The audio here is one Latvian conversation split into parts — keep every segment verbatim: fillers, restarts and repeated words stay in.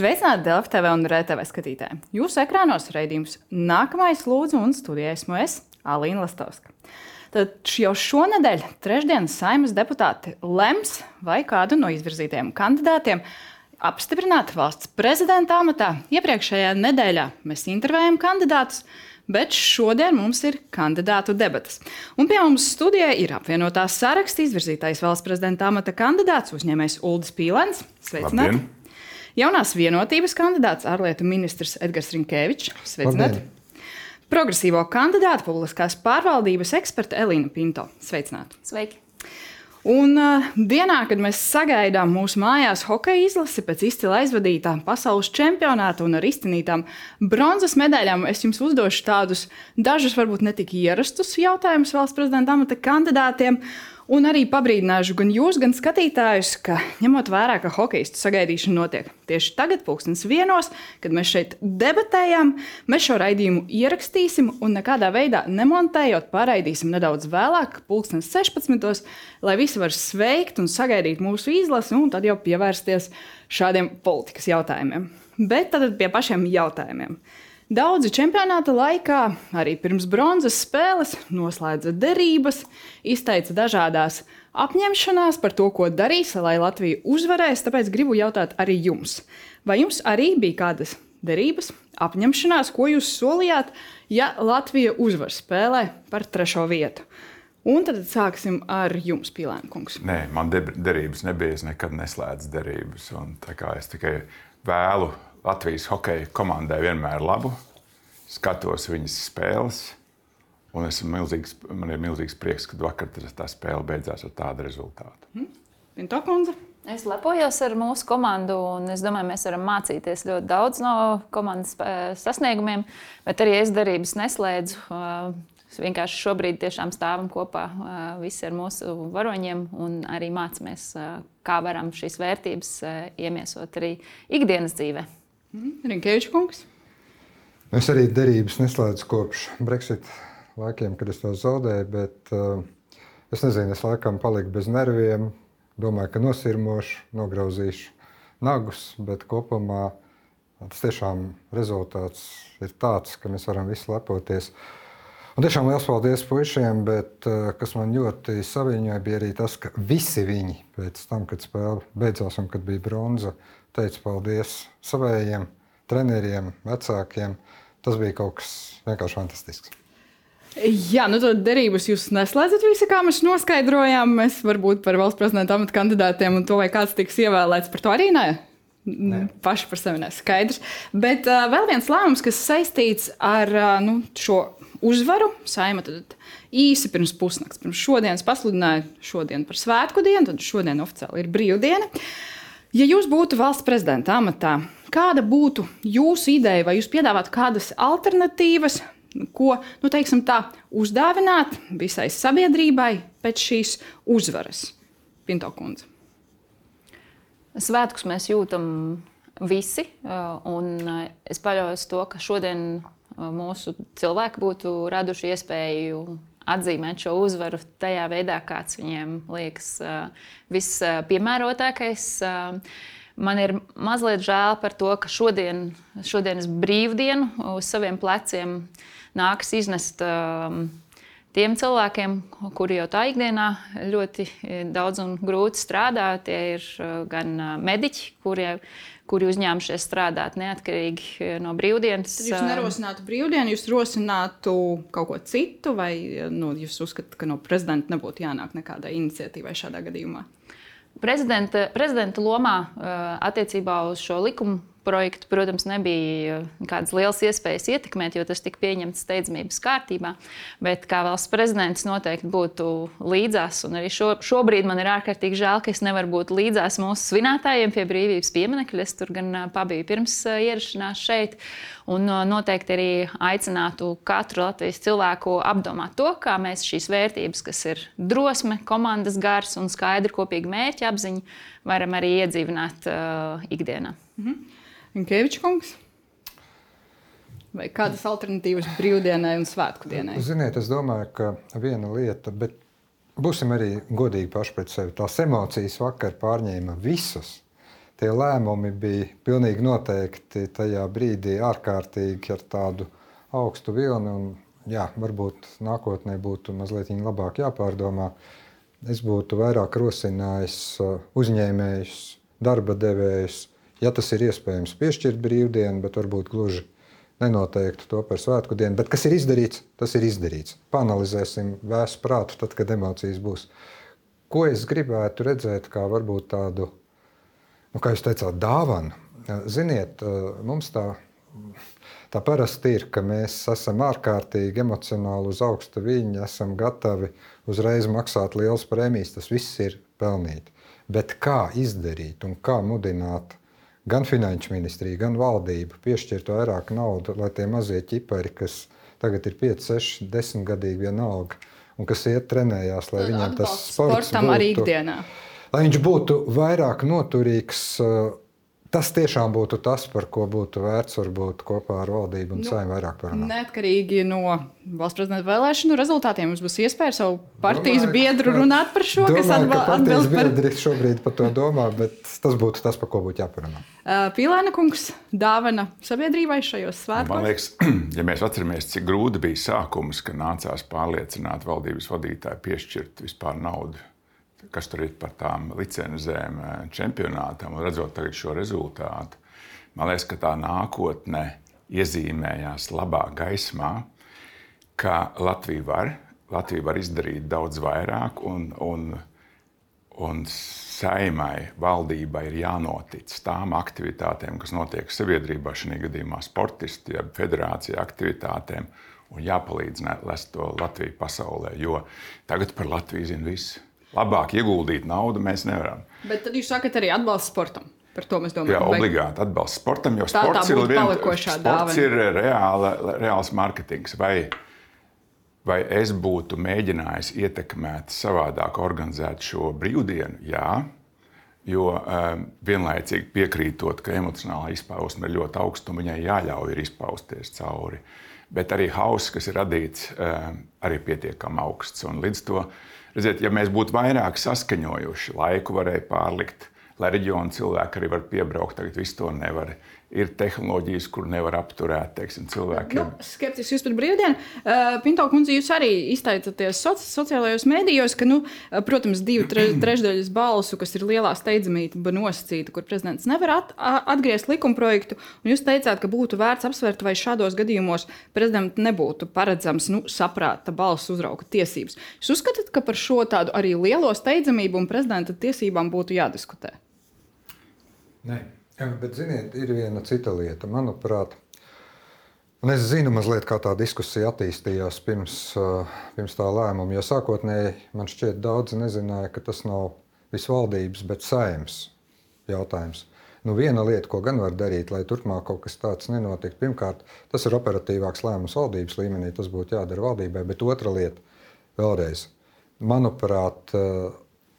Sveicināti Delfi T V un R T V skatītāji. Jūsu ekrānos raidījums Nākamais lūdzu un studijā esmu es, Alīna Lastovska. Tad jau šonedēļ, trešdien, Saeimas deputāti lems, vai kādu no izvirzītajiem kandidātiem apstiprināt valsts prezidenta amatā. Iepriekšējā nedēļā mēs intervējam kandidātus, bet šodien mums ir kandidātu debates. Un pie mums studijā ir apvienotās saraksta izvirzītais valsts prezidenta amata kandidāts, uzņēmējs Uldis Pīlēns. Sveicināti! Labdien. Jaunās vienotības kandidāts ārlietu ministrs Edgars Rinkēvičs. Sveicināti! Progresīvo kandidātu publiskās pārvaldības eksperta Elīna Pinto. Sveicināti! Sveiki! Un uh, dienā, kad mēs sagaidām mūsu mājās hokeja izlasi pēc izcila aizvadītā pasaules čempionāta un ar izcīnītām bronzas medaļām, es jums uzdošu tādus dažus varbūt ne tik ierastus jautājumus valsts prezidenta amata kandidātiem. Un arī pabrīdināšu gan jūs, gan skatītājus, ka ņemot vērā, ka hokeistu sagaidīšana notiek tieši tagad, pulkstens vienos, kad mēs šeit debatējām, mēs šo raidījumu ierakstīsim un nekādā veidā nemontējot, pārraidīsim nedaudz vēlāk, pulkstens sešpadsmitos, lai visi var sveikt un sagaidīt mūsu izlasi un tad jau pievērsties šādiem politikas jautājumiem. Bet tad pie pašiem jautājumiem. Daudzi čempionāta laikā, arī pirms bronzas spēles, noslēdza derības, izteica dažādās apņemšanās par to, ko darīs, lai Latvija uzvarēs. Tāpēc gribu jautāt arī jums. Vai jums arī bija kādas derības, apņemšanās, ko jūs solījāt, ja Latvija uzvar spēlē par trešo vietu? Un tad sāksim ar jums, Pīlēn kungs. Nē, man derības nebija, es nekad neslēdzu derības. Un tā kā es tikai vēlu Latvijas hokeja komandai vienmēr labu, skatos viņas spēles, un milzīgs, man ir milzīgs prieks, ka vakar tā spēle beidzās ar tādu rezultātu. Hmm. Pinto kundze? Es lepojos ar mūsu komandu, un es domāju, mēs varam mācīties ļoti daudz no komandas sasniegumiem, bet arī es derības neslēdzu. Vienkārši šobrīd tiešām stāvam kopā visi ar mūsu varoņiem un arī mācāmies, kā varam šīs vērtības iemiesot arī ikdienas dzīvē. Rinkēvičs kungs? Es arī derības neslēdzu kopš Brexit laikiem, kad es to zaudēju, bet uh, es nezinu, es laikam paliku bez nerviem, domāju, ka nosirmošu, nograuzīšu nagus, bet kopumā tas tiešām rezultāts ir tāds, ka mēs varam visi lepoties. Un tiešām liels paldies puišiem, bet uh, kas man ļoti saviņoja, bija arī tas, ka visi viņi pēc tam, kad spēle beidzās un kad bija bronza, teica paldies savējiem, treneriem, vecākiem. Tas bija kaut kas vienkārši fantastisks. Jā, nu tad derības jūs neslēdzat visi, kā mēs noskaidrojām. Mēs varbūt par valsts prezidenta amata kandidātiem un to, vai kāds tiks ievēlēts, par to arī ne. Ne. Paši par sevi neskaidrs. Bet uh, vēl viens lēmums, kas saistīts ar uh, nu, šo uzvaru. Saeima tad īsi pirms pusnakts, pirms šodienas pasludināja šodien par svētku dienu, tad šodien oficiāli ir brīvdiena. Ja jūs būtu valsts prezidenta amatā, kāda būtu jūsu ideja, vai jūs piedāvātu kādas alternatīvas, ko, nu, teiksim tā, uzdāvināt visai sabiedrībai pēc šīs uzvaras? Pinto kundze. Svētkus mēs jūtam visi, un es paļaujos to, ka šodien mūsu cilvēki būtu raduši iespēju atzīmēt šo uzvaru tajā veidā, kāds viņiem liekas vispiemērotākais. Man ir mazliet žēl par to, ka šodien, šodienas brīvdienu uz saviem pleciem nākas iznest tiem cilvēkiem, kuri jau tā ikdienā ļoti daudz un grūti strādā. Tie ir gan mediķi, kuri, kuri uzņēmušies strādāt neatkarīgi no brīvdienas. Tad jūs nerosinātu brīvdienu, jūs rosinātu kaut ko citu, vai nu, jūs uzskatāt, ka no prezidenta nebūtu jānāk nekādai iniciatīvai šādā gadījumā? Prezidenta, prezidenta lomā attiecībā uz šo likumu projektu, protams, nebija kādas lielas iespējas ietekmēt, jo tas tika pieņemts steidzamības kārtībā. Bet kā valsts prezidents noteikti būtu līdzās, un arī šo, šobrīd man ir ārkārtīgi žēl, ka es nevaru būt līdzās mūsu svinētājiem pie brīvības pieminekļa. Es tur gan pabiju pirms ierašanās šeit, un noteikti arī aicinātu katru Latvijas cilvēku apdomāt to, kā mēs šīs vērtības, kas ir drosme, komandas gars un skaidra kopīga mērķa apziņa, varam arī iedzīvināt uh, ikdienā. Mhm. Rinkēvičs kungs? Vai kādas alternatīvas brīvdienai un svētku dienai? Ziniet, es domāju, ka viena lieta, bet būsim arī godīgi paši pret sevi. Tās emocijas vakar pārņēma visus. tie lēmumi bija pilnīgi noteikti tajā brīdī ārkārtīgi ar tādu augstu vilni. Un, jā, varbūt nākotnē būtu mazliet labāk jāpārdomā. Es būtu vairāk rosinājis uzņēmējus, darba devējus, ja tas ir iespējams piešķirt brīvdienu, bet varbūt gluži nenoteiktu to par svētku dienu. Bet kas ir izdarīts, tas ir izdarīts. Panalizēsim vēsu prātu tad, kad emocijas būs. Ko es gribētu redzēt kā varbūt tādu, nu, kā jūs teicāt, dāvanu? Ziniet, mums tā, tā parasti ir, ka mēs esam ārkārtīgi emocionāli uz augsta viļņa, esam gatavi uzreiz maksāt lielas prēmijas, tas viss ir pelnīti. Bet kā izdarīt un kā mudināt gan finanšu ministriju, gan valdību piešķirt vairāk naudu, lai tie mazie ķipari, kas tagad ir pieci, seši, desmit gadīgi vienalga, un kas iet trenējās, lai viņiem tas sports sportam būtu, arī ikdienā. Lai viņš būtu vairāk noturīgs, tas tiešām būtu tas, par ko būtu vērts varbūt kopā ar valdību un nu, saimnu vairāk parunāt. Neatkarīgi no valsts prezidenta vēlēšanu rezultātiem mums būs iespēja savu partijas domāju, biedru runāt par šo, domāju, kas atba- ka partijas atbilst par... biedri šobrīd par to domā, bet tas būtu tas, par ko būtu jāparunā. Uh, Pīlēna kungs, dāvana sabiedrībai šajos svētkos? Man liekas, ja mēs atceramies, cik grūti bija sākums, ka nācās pārliecināt valdības vadītāju piešķirt vispār naudu, kas tur ir par tām licenzēm čempionātam, un redzot tagad šo rezultātu, man liekas, ka tā nākotne iezīmējās labā gaismā, ka Latvija var, Latvija var izdarīt daudz vairāk, un, un, un saimai, valdībai ir jānotic tām aktivitātēm, kas notiek sabiedrībā, šī gadījumā sportisti, ja federācija aktivitātēm, un jāpalīdz lest to Latviju pasaulē, jo tagad par Latviju zina visi. Labāk ieguldīt naudu mēs nevaram. Bet tad jūs sakat arī atbalsts sportam. Par to mēs domājam. Jā, obligāti atbalsts sportam, jo tā, sports, tā ir, vien, sports sports ir reāla, reāls marketings. Vai, vai es būtu mēģinājis ietekmēt savādāk organizēt šo brīvdienu? Jā, jo um, vienlaicīgi piekrītot, ka emocionālā izpausme ir ļoti augsta un viņai jāļauj ir izpausties cauri. Bet arī hauss, kas ir radīts, um, arī pietiekami augsts. Un līdz to redziet, ja mēs būtu vairāk saskaņojuši, laiku varēja pārlikt, lai reģionu cilvēki arī var piebraukt, tagad visu to nevar. Ir tehnoloģijas, kur nevar apturēt, teiksim, cilvēkiem. Nu, skeptiski jūs par brīvdienu. Uh, Pinto kundze, jūs arī izteicaties soci sociālajos mēdījos, ka, nu, protams, divu tre trešdaļas balsu, kas ir lielā steidzamība nosacīta, kur prezidents nevar at atgriezt likumprojektu, un jūs teicāt, ka būtu vērts apsvērt, vai šādos gadījumos prezidentam nebūtu paredzams, nu, saprāta balsu uzrauga tiesības. Jūs uzskatāt, ka par šo tādu arī lielo steidzamību un prezidenta tiesībām būtu jādiskutē? Nē. Jā, bet, ziniet, ir viena cita lieta, manuprāt. Un es zinu mazliet, kā tā diskusija attīstījās pirms, pirms tā lēmuma, jo sākotnēji man šķiet daudzi nezināja, ka tas nav visvaldības, bet saeimas jautājums. Nu, viena lieta, ko gan var darīt, lai turpmāk kaut kas tāds nenotiek, pirmkārt, tas ir operatīvāks lēmums valdības līmenī, tas būtu jādara valdībai, bet otra lieta, vēlreiz, manuprāt,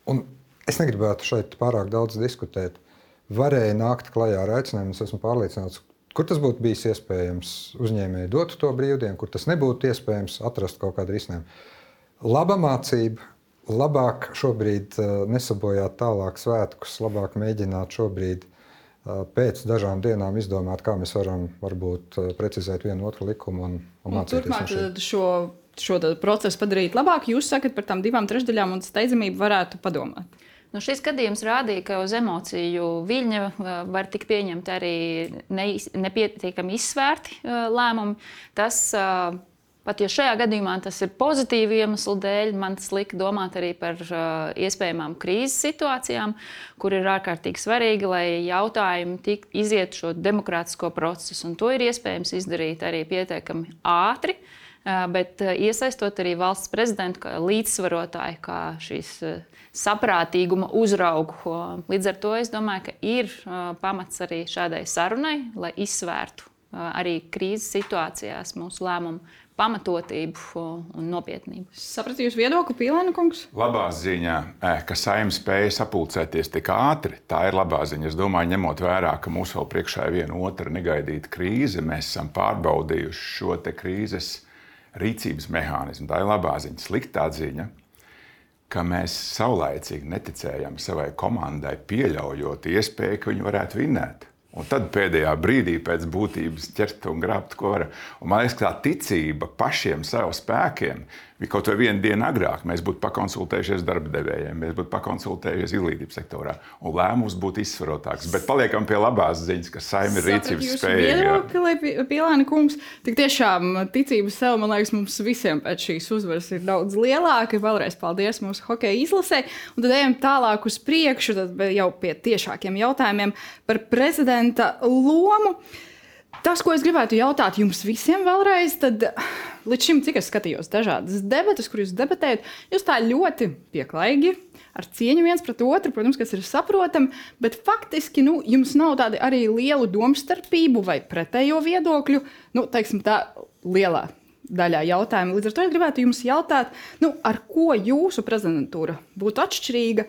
un es negribētu šeit pārāk daudz diskutēt, varēja nākt klajā ar aicinājumu, es esmu pārliecināts, kur tas būtu bijis iespējams uzņēmēji dot to brīvdienu, kur tas nebūtu iespējams atrast kaut kādu risinājumu. Laba mācība, labāk šobrīd nesabojāt tālāk svētkus, labāk mēģināt šobrīd pēc dažām dienām izdomāt, kā mēs varam varbūt precizēt vienu otru likumu un, un mācīties. Turpmāk šo, šo procesu padarīt labāk, jūs sakat par tām divām trešdaļām un steidzamību varētu padomāt. Nu, šis gadījums rādīja, ka uz emociju viļņa var tikt pieņemti arī ne, nepietiekami izsvērti lēmumi. Tas, pat ja šajā gadījumā tas ir pozitīvi iemeslu dēļ, man tas lika domāt arī par iespējamām krīzes situācijām, kur ir ārkārtīgi svarīgi, lai jautājumi tik iziet šo demokrātisko procesu. Un to ir iespējams izdarīt arī pietiekami ātri, bet iesaistot arī valsts prezidentu kā līdzsvarotāju, kā šīs saprātīguma uzraugu. Līdz ar to es domāju, ka ir pamats arī šādai sarunai, lai izsvērtu arī krīzes situācijās mūsu lēmumu pamatotību un nopietnību. Sapratu jūsu viedokli, Pīlēna kungs? Labā ziņā, ka Saeima spēja sapulcēties tik ātri, tā ir labā ziņa. Es domāju, ņemot vērā, ka mums vēl priekšā ir viena otra negaidīta krīze, mēs esam pārbaudījuši šo te krīzes rīcības mehānismu. Tā ir labā ziņa. Sliktā ziņa, ka mēs saulaicīgi neticējam savai komandai, pieļaujot iespēju, ka viņi varētu vinnēt. Un tad pēdējā brīdī pēc būtības ķert un grābt, ko var. Un man liekas, ka tā ticība pašiem saviem spēkiem bija kaut vai vienu dienu agrāk. Mēs būtu pakonsultējušies darba devējiem, mēs būtu pakonsultējušies izglītības sektorā, un lēmums būtu izsvarotāks. Bet paliekam pie labās ziņas, ka Saeima ir rīcības spējīga. Viedokli, Pielāni kungs, tik tiešām ticība sev, man liekas, mums visiem pēc šīs uzvaras ir daudz lielāka. Vēlreiz paldies mūsu hokeja izlasē. Un tad ejam tālāk uz priekšu, tad jau pie tiešākiem jautājumiem par prezidenta lomu. Tas, ko es gribētu jautāt jums visiem vēlreiz, tad līdz šim, cik es skatījos dažādas debatas, kur jūs debatējat, jūs tā ļoti pieklājīgi, ar cieņu viens pret otru, protams, kas ir saprotami, bet faktiski nu, jums nav tādi arī lielu domstarpību vai pretējo viedokļu, nu, teiksim tā, lielā daļā jautājumu. Līdz ar to es gribētu jums jautāt, nu, ar ko jūsu prezidentūra būtu atšķirīga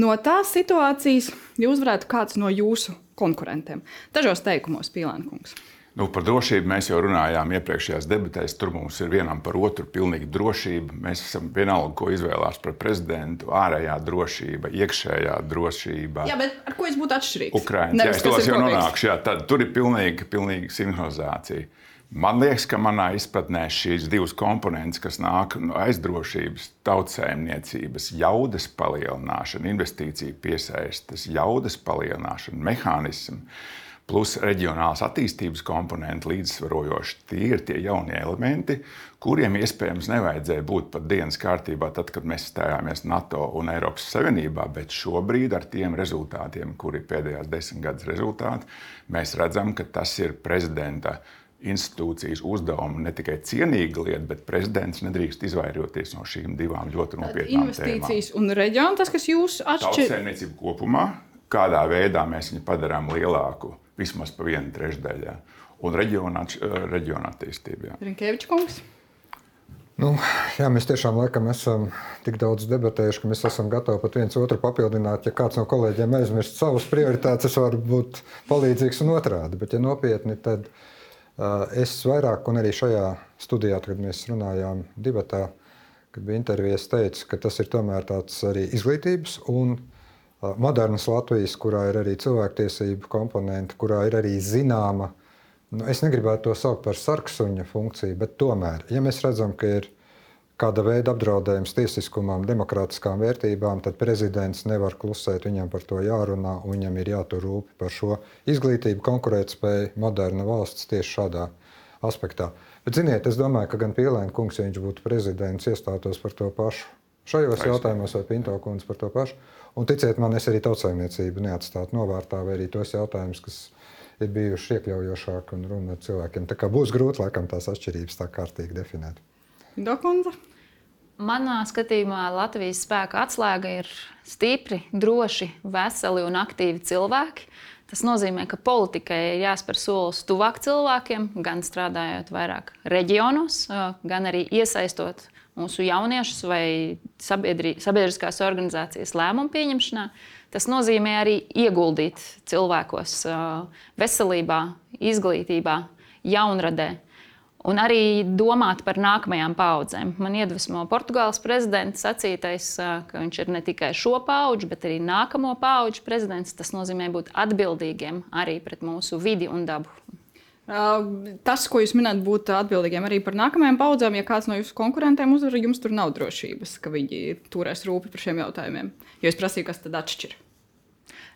no tās situācijas, ja uzvarētu kāds no jūsu konkurentiem. Dažos teikumos, Pielāni kungs. Nu, par drošību mēs jau runājām iepriekšējās debatēs. Tur mums ir vienam par otru pilnīga drošība. Mēs esam vienalga, ko izvēlās par prezidentu. Ārējā drošība, iekšējā drošība. Jā, bet ar ko jūs būtu atšķirīgs? Ukrainas, jā, es tos jau nonākšu. Jā, tad tur ir pilnīga, pilnīga sinhronizācija. Man liekas, ka manā izpratnē šīs divas komponentes, kas nāk no aizdrošības, tautsēmniecības, jaudas palielināšana, investīciju piesaistes, jaudas palielināšana, mehānismi, plus reģionālās attīstības komponenti līdzsvarojoši. Tie ir tie jaunie elementi, kuriem iespējams nevajadzēja būt pat dienas kārtībā, tad, kad mēs stājāmies NATO un Eiropas Savienībā, bet šobrīd ar tiem rezultātiem, kuri ir pēdējās desmit gadus rezultāti, mēs redzam, ka tas ir prezidenta institūcijas uzdevuma ne tikai cienīga lieta, bet prezidents nedrīkst izvairoties no šīm divām ļoti nopietnām investīcijas tēmām. Un reģionu, tas, kas jūs atšķir... Tautsēmniecība kopumā, kādā veidā mēs viņu padarām lielāku, vismaz pa vienu trešdaļā, un reģiona, reģiona attīstība. Rinkevičs kungs? Nu, jā, mēs tiešām laikam esam tik daudz debatējuši, ka mēs esam gatavi pat viens otru papildināt. Ja kāds no kolēģiem aizmirst savas prioritātes, es varu būt palīdzīgs un otrādi. Bet, ja nopietni, tad uh, es vairāk, un arī šajā studijā, kad mēs runājām debatā, kad bija intervijas, teicu, ka tas ir tomēr tāds arī izglītības un modernas Latvijas, kurā ir arī cilvēktiesību komponenti, kurā ir arī zināma, nu, es negribētu to saukt par sarksuņa funkciju, bet tomēr, ja mēs redzam, ka ir kāda veida apdraudējums tiesiskumam, demokrātiskām vērtībām, tad prezidents nevar klusēt, viņam par to jārunā, un viņam ir jātur rūpi par šo izglītību, konkurētspēju, moderna valsts tieši šādā aspektā. Bet, ziniet, es domāju, ka gan Pielēna kungs, ja viņš būtu prezidents, iestātos par to pašu šajos jautājumos, vai Pinto kundze par to pašu. Un ticiet man, es arī tautsājumniecību neatstātu novārtā, vai arī tos jautājumus, kas ir bijuši iekļaujošāki un runa ar cilvēkiem. Tā kā būs grūti, laikam, tās atšķirības tā kārtīgi definēt. Pinto kundze? Manā skatījumā Latvijas spēka atslēga ir stipri, droši, veseli un aktīvi cilvēki. Tas nozīmē, ka politikai ir jāspēr solis tuvāk cilvēkiem, gan strādājot vairāk reģionos, gan arī iesaistot mūsu jauniešus vai sabiedriskās organizācijas lēmumu pieņemšanā. Tas nozīmē arī ieguldīt cilvēkos veselībā, izglītībā, jaunradē un arī domāt par nākamajām paudzēm. Man iedvesmo Portugāles prezidents sacītais, ka viņš ir ne tikai šo paudžu, bet arī nākamo paudžu prezidents. Tas nozīmē būt atbildīgiem arī pret mūsu vidi un dabu. Tas, ko jūs minat, būt atbildīgiem arī par nākamajām paudzēm, ja kāds no jūsu konkurentiem uzvar, jums tur nav drošības, ka viņi turēs rūpi par šiem jautājumiem. Jo es prasīju, kas tad atšķir.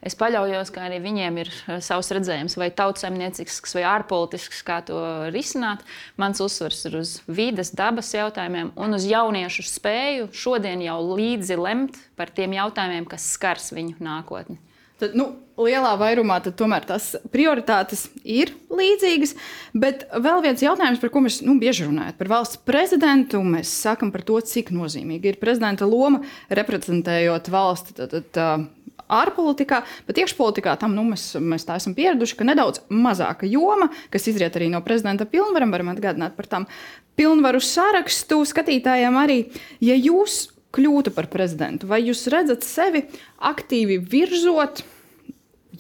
Es paļaujos, ka arī viņiem ir savs redzējums, vai tautsaimniecisks, vai ārpolitisks, kā to risināt. Mans uzsvars ir uz vides, dabas jautājumiem un uz jauniešu spēju šodien jau līdzi lemt par tiem jautājumiem, kas skars viņu nākotni. Tad, nu, lielā vairumā tad tomēr tās prioritātes ir līdzīgas, bet vēl viens jautājums, par ko mēs nu, bieži runājam, par valsts prezidentu, mēs sakam par to, cik nozīmīgi ir prezidenta loma reprezentējot valsti tad, tad, ārpolitikā, bet iekšpolitikā tam nu, mēs, mēs tā esam pieraduši, ka nedaudz mazāka joma, kas izriet arī no prezidenta pilnvaram, varam atgādināt par tām pilnvaru sarakstu skatītājiem arī, ja jūs kļūtu par prezidentu, vai jūs redzat sevi aktīvi virzot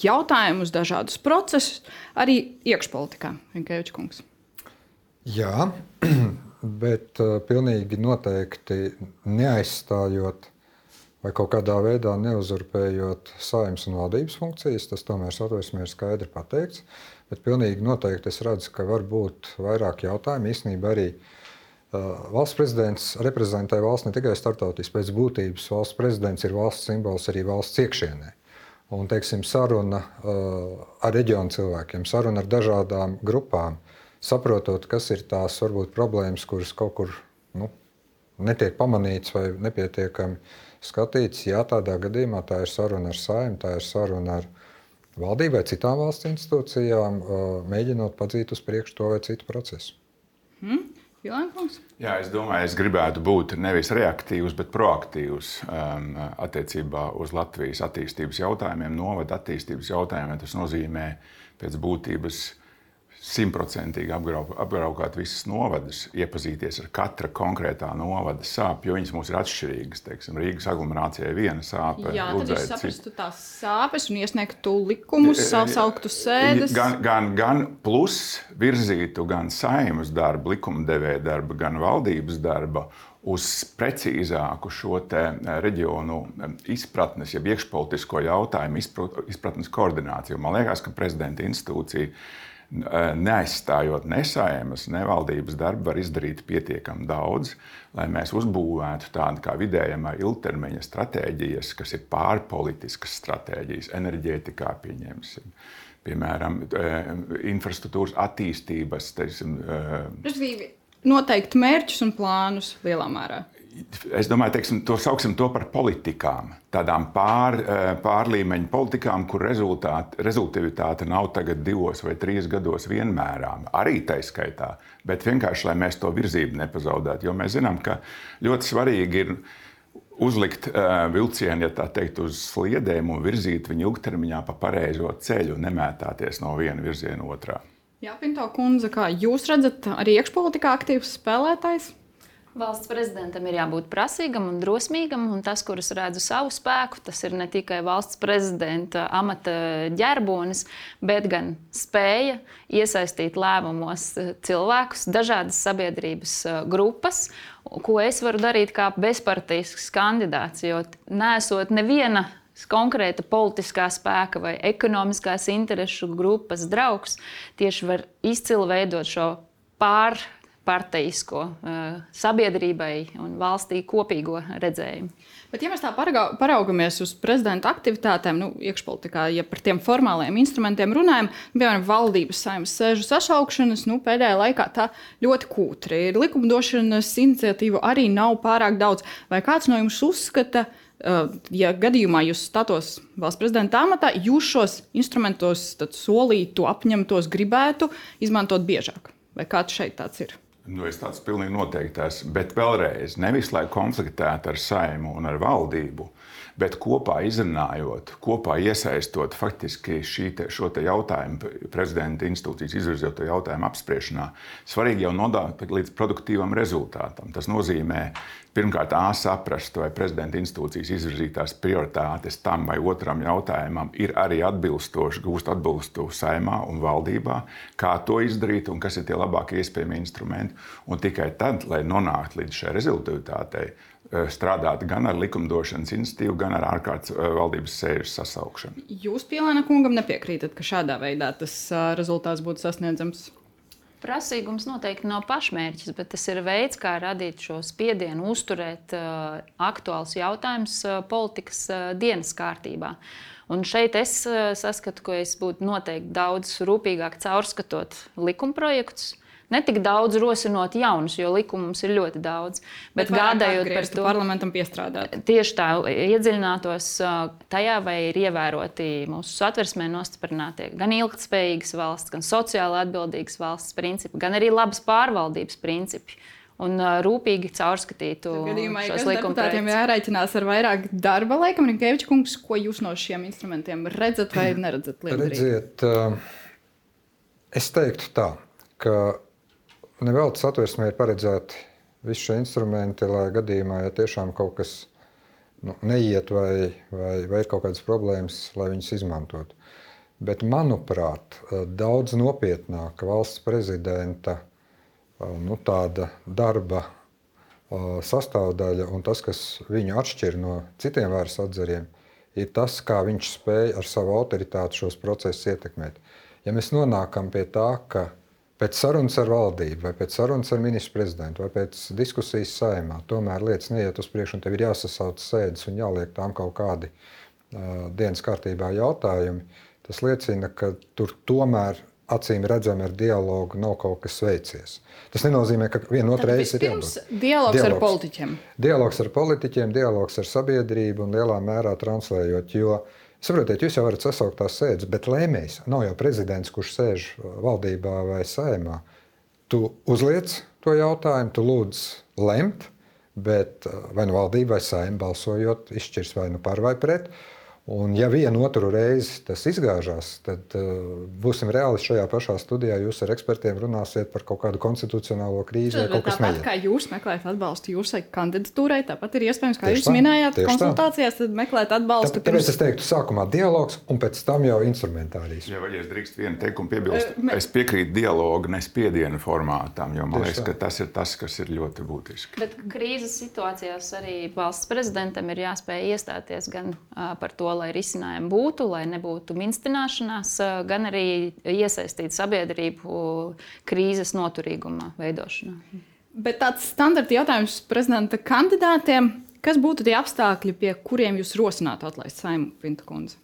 jautājumus, dažādus procesus, arī iekšpolitikā, Rinkevičs kungs? Jā, bet uh, pilnīgi noteikti neaizstājot vai kaut kādā veidā neuzurpējot Saeimas un valdības funkcijas. Tas tomēr Satversmē ir skaidri pateikts. Bet pilnīgi noteikti es redzu, ka var būt vairāk jautājumu. Īstenībā arī uh, valsts prezidents reprezentē valsts ne tikai starptautiski, pēc būtības valsts prezidents ir valsts simbols arī valsts iekšienē. Un, teiksim, saruna uh, ar reģionu cilvēkiem, saruna ar dažādām grupām, saprotot, kas ir tās varbūt problēmas, kuras kaut kur nu, netiek pamanīts vai nepietiekami skatīts. Jā, tādā gadījumā tā ir saruna ar Saeimu, tā ir saruna ar valdību vai citām valsts institūcijām, uh, mēģinot padzīt uz priekšu to vai citu procesu. Hmm. Vilēnkungs? Jā, es domāju, es gribētu būt nevis reaktīvs, bet proaktīvs um, attiecībā uz Latvijas attīstības jautājumiem, novada attīstības jautājumiem. Tas nozīmē pēc būtības simtprocentīgi apbraukāt visas novadas, iepazīties ar katra konkrētā novada sāpju, jo viņas mums ir atšķirīgas. Teiksim, Rīgas aglomerācijai viena sāpe. Jā, tad jūs saprastu tās sāpes un iesniegtu likumus, sauktu sēdes. Gan, gan, gan plus virzītu gan Saeimas darbu, likumdevēja darbu, gan valdības darbu uz precīzāku šo te reģionu izpratnes, jeb iekšpolitisko jautājumu izpratnes koordināciju. Man liekas, ka prezidenta institūcija neaizstājot ne Saeimas, ne valdības darbu, var izdarīt pietiekami daudz, lai mēs uzbūvētu tādu kā vidējamā ilgtermiņa stratēģijas, kas ir pārpolitiskas stratēģijas, enerģētikā pieņemsim. Piemēram, infrastruktūras attīstības. Teiksim, Respektīvi, noteikti mērķus un plānus lielā mērā. Es domāju, teiksim, to sauksim to par politikām, tādām pār, pārlīmeņu politikām, kur rezultātivitāte nav tagad divos vai trīs gados vienmērām, arī taiskaitā, bet vienkārši, lai mēs to virzību nepazaudētu. Jo mēs zinām, ka ļoti svarīgi ir uzlikt uh, vilcienu, ja tā teikt, uz sliedēm un virzīt viņu ilgtermiņā pa pareizo ceļu un nemētāties no viena virziena otrā. Jā, Pinto kundze, kā jūs redzat, arī iekšpolitikā aktīvs spēlētājs? Valsts prezidentam ir jābūt prasīgam un drosmīgam, un tas, kurus redzu savu spēku, tas ir ne tikai valsts prezidenta amata ģerbonis, bet gan spēja iesaistīt lēmumos cilvēkus, dažādas sabiedrības grupas, ko es varu darīt kā bezpartisks kandidāts, jo neesot neviena konkrēta politiskā spēka vai ekonomiskās interešu grupas draugs, tieši var izcili veidot šo pār parteisko uh, sabiedrībai un valstī kopīgo redzējumu. Bet, ja mēs tā paraugamies uz prezidenta aktivitātēm, nu, iekšpolitikā, ja par tiem formālajiem instrumentiem runājam, piemēram, valdības Saeimas sēžu sašaukšanas, nu, pēdējā laikā tā ļoti kūtri ir. Likumdošanas iniciatīvu arī nav pārāk daudz. Vai kāds no jums uzskata, uh, ja gadījumā jūs statos valsts prezidenta amatā, jūs šos instrumentos solītu, apņemtos, gribētu izmantot biežāk? Vai kāds šeit tāds ir? Nu, es tāds pilnīgi noteikti esmu, bet vēlreiz, nevis lai konfliktētu ar Saeimu un ar valdību, bet kopā izrunājot, kopā iesaistot faktiski šī te, šo te jautājumu, prezidenta institūcijas izvirzīto jautājumu apspriešanā, svarīgi jau nodāt līdz produktīvam rezultātam. Tas nozīmē, pirmkārt, A, saprast, vai prezidenta institūcijas izvirzītās prioritātes tam vai otram jautājumam ir arī atbilstoši, gūst atbilstu Saeimā un valdībā, kā to izdarīt un kas ir tie labākie iespējami instrumenti. Un tikai tad, lai nonāktu līdz šai rezultātei, strādāt gan ar likumdošanas institīvu, gan ar ārkārtas valdības sēžu sasaukšanu. Jūs, Pielēna kungam, nepiekrītat, ka šādā veidā tas rezultāts būtu sasniedzams? Prasīgums noteikti nav pašmērķis, bet tas ir veids, kā radīt šo spiedienu, uzturēt uh, aktuāls jautājums uh, politikas uh, dienas kārtībā. Un šeit es uh, saskatu, ka es būtu noteikti daudz rūpīgāk caurskatot likumprojektus. Ne tik daudz rosinot jaunus, jo likumu mums ir ļoti daudz. Bet, bet gādājot par to, parlamentam piestrādāt. Tieši tā, iedziļinātos tajā, vai ir ievēroti mūsu Satversmē nostiprinātie gan ilgtspējīgas valsts, gan sociāli atbildīgas valsts principi, gan arī labas pārvaldības principi. Un rūpīgi caurskatītu gadījumā, šos likumprojektus. Deputātiem jāreiķinās ar vairāk darba. Laikam, Rinkeviča kungs, ko jūs no šiem instrumentiem redzat vai neredzat? Redziet, es teiktu tā, ka nevelti Satversmē ir paredzēti visi šie instrumenti, lai gadījumā, ja tiešām kaut kas nu, neiet vai, vai, vai ir kaut kādas problēmas, lai viņus izmantotu. Bet, manuprāt, daudz nopietnāka valsts prezidenta nu, tāda darba sastāvdaļa un tas, kas viņu atšķir no citiem varas atzariem, ir tas, kā viņš spēj ar savu autoritāti šos procesus ietekmēt. Ja mēs nonākam pie tā, ka pēc sarunas ar valdību, vai pēc sarunas ar ministru prezidentu, vai pēc diskusijas Saeimā, tomēr lietas neiet uz priekšu un tev ir jāsasauc sēdes un jāliek tām kaut kādi uh, dienas kārtībā jautājumi, tas liecina, ka tur tomēr acīm redzami ar dialogu nav kaut kas veicies. Tas nenozīmē, ka viena otra reize ir jābūt. Dialogs, dialogs ar politiķiem. Dialogs ar politiķiem, dialogs ar sabiedrību un lielā mērā translējot, jo, saprotiet, jūs jau varat sasaukt tās sēdes, bet lēmējs nav jau prezidents, kurš sēž valdībā vai Saeimā. Tu uzliec to jautājumu, tu lūdz lemt, bet vai nu valdība vai Saeima balsojot izšķirs vai nu par vai pret. Un ja vienu otru reizi tas izgāžās, tad uh, būsim reālisti šajā pašā studijā. Jūs ar ekspertiem runāsiet par kaut kādu konstitucionālo krīzi vai kaut kas neiet. Tāpat kā jūs meklējat atbalstu jūsai kandidatūrai, tāpat ir iespējams, kā Tieši jūs tā, minējāt tieši konsultācijās, tad meklēt atbalstu. Tā, tāpēc es teiktu, sākumā dialogs un pēc tam jau instrumentārijas. Ja, ja es drīkst vienu teikumu piebilst, Uh, me- es piekrītu dialogu, ne spiedienu formātam, jo man Tieši liekas, tā. ka tas ir tas, kas ir ļoti būtiski. Bet krīzes situācijās arī valsts prezidentam ir jāspēj iestāties gan uh, par to, lai risinājumi būtu, lai nebūtu minstināšanās, uh, gan arī iesaistīt sabiedrību krīzes noturīguma veidošanā. Bet tāds standarta jautājums prezidenta kandidātiem, kas būtu tie apstākļi, pie kuriem jūs rosinātu atlaist Saimu, Pinta kundze?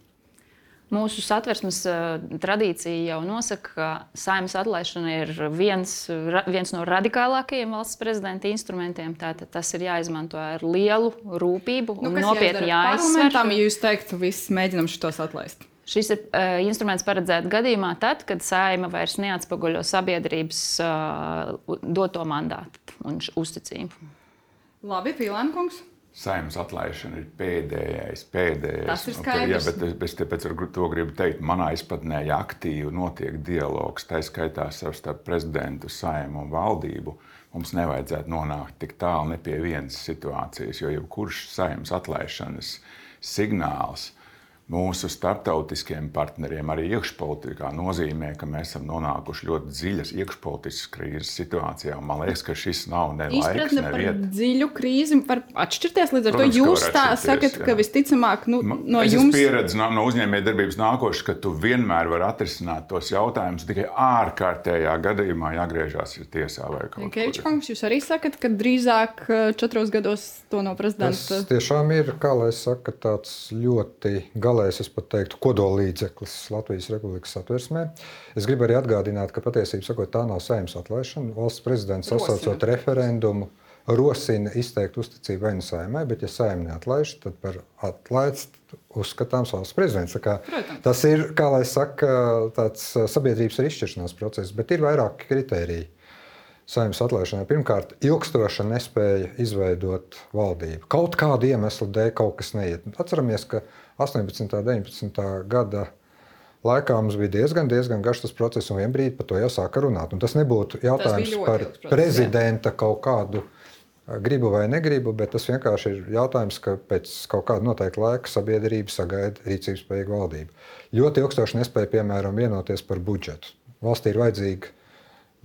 Mūsu satversmes uh, tradīcija jau nosaka, ka Saeimas atlaišana ir viens, ra, viens no radikālākajiem valsts prezidenta instrumentiem. Tātad tas ir jāizmanto ar lielu rūpību un nopietni jāizsver. Parlamentam, ja jūs teiktu, viss mēģinam šitos atlaist. Šis ir uh, instruments paredzēts gadījumā tad, kad Saeima vairs neatspoguļo sabiedrības uh, doto mandātu un uzticību. Labi, Pīlēnkungs. Saeimas atlaišana ir pēdējais, pēdējais. Tas ir Un skaidrs. Jā, bet es tāpēc ar to gribu teikt, manā izpratnē, ja aktīvi notiek dialogs, tā skaitā starp prezidentu, Saeimu un valdību, mums nevajadzētu nonākt tik tālu ne pie vienas situācijas, jo jebkurš Saeimas atlaišanas signāls mūsu starptautiskiem partneriem, arī iekšpolitikā, nozīmē, ka mēs esam nonākuši ļoti dziļas iekšpolitiskas krīzes situācijā. Un man liekas, ka šis nav ne laiks, Izpratne ne par vieta. dziļu krīzi var atšķirties. Līdz ar Protams, to ka jūs var tā atšķirties, sakat, jā. ka visticamāk nu, no es jums. esmu pieredzējis no, no uzņēmējdarbības nākošais, ka tu vienmēr vari atrisināt tos jautājumus. Tikai ārkārtējā gadījumā jāgriežas tiesā vai kaut Kevičs kur. kungs, jūs arī sakat, ka drīzāk uh, četros gados to no Tas prezidenta. tiešām ir, kā lai saka, tāds ļoti galējs, es pat teiktu, kodolīdzeklis Latvijas Republikas satversmē. Es gribu arī atgādināt, ka patiesībā sakot, tā nav Saeimas atlaišana. Valsts prezidents sasaucot referendumu rosina izteikt uzticību vai nu Saeimai, bet ja Saeima neatlaiž, tad par atlaists uzskatāms valsts prezidents. Tā kā Protams. Tas ir, kā lai saka, tāds sabiedrības ar izšķiršanās process, bet ir vairāki kritēriji Saeimas atlaišanai. Pirmkārt, ilgstoša nespēja izveidot valdību. Kaut kādu iemeslu dēļ kaut kas neiet. Atceramies, ka astoņpadsmitā, deviņpadsmitā gada laikā mums bija diezgan, diezgan garš tas process, un vienbrīd par to jau sāka runāt. Un tas nebūtu jautājums ļoti par ilgs process, prezidenta kaut kādu gribu vai negribu, bet tas vienkārši ir jautājums, ka pēc kaut kāda noteikta laika sabiedrība sagaida rīcības spējīgu valdību. Ļoti ilgstoši nespēja, piemēram, vienoties par budžetu. Valstī ir vajadzīga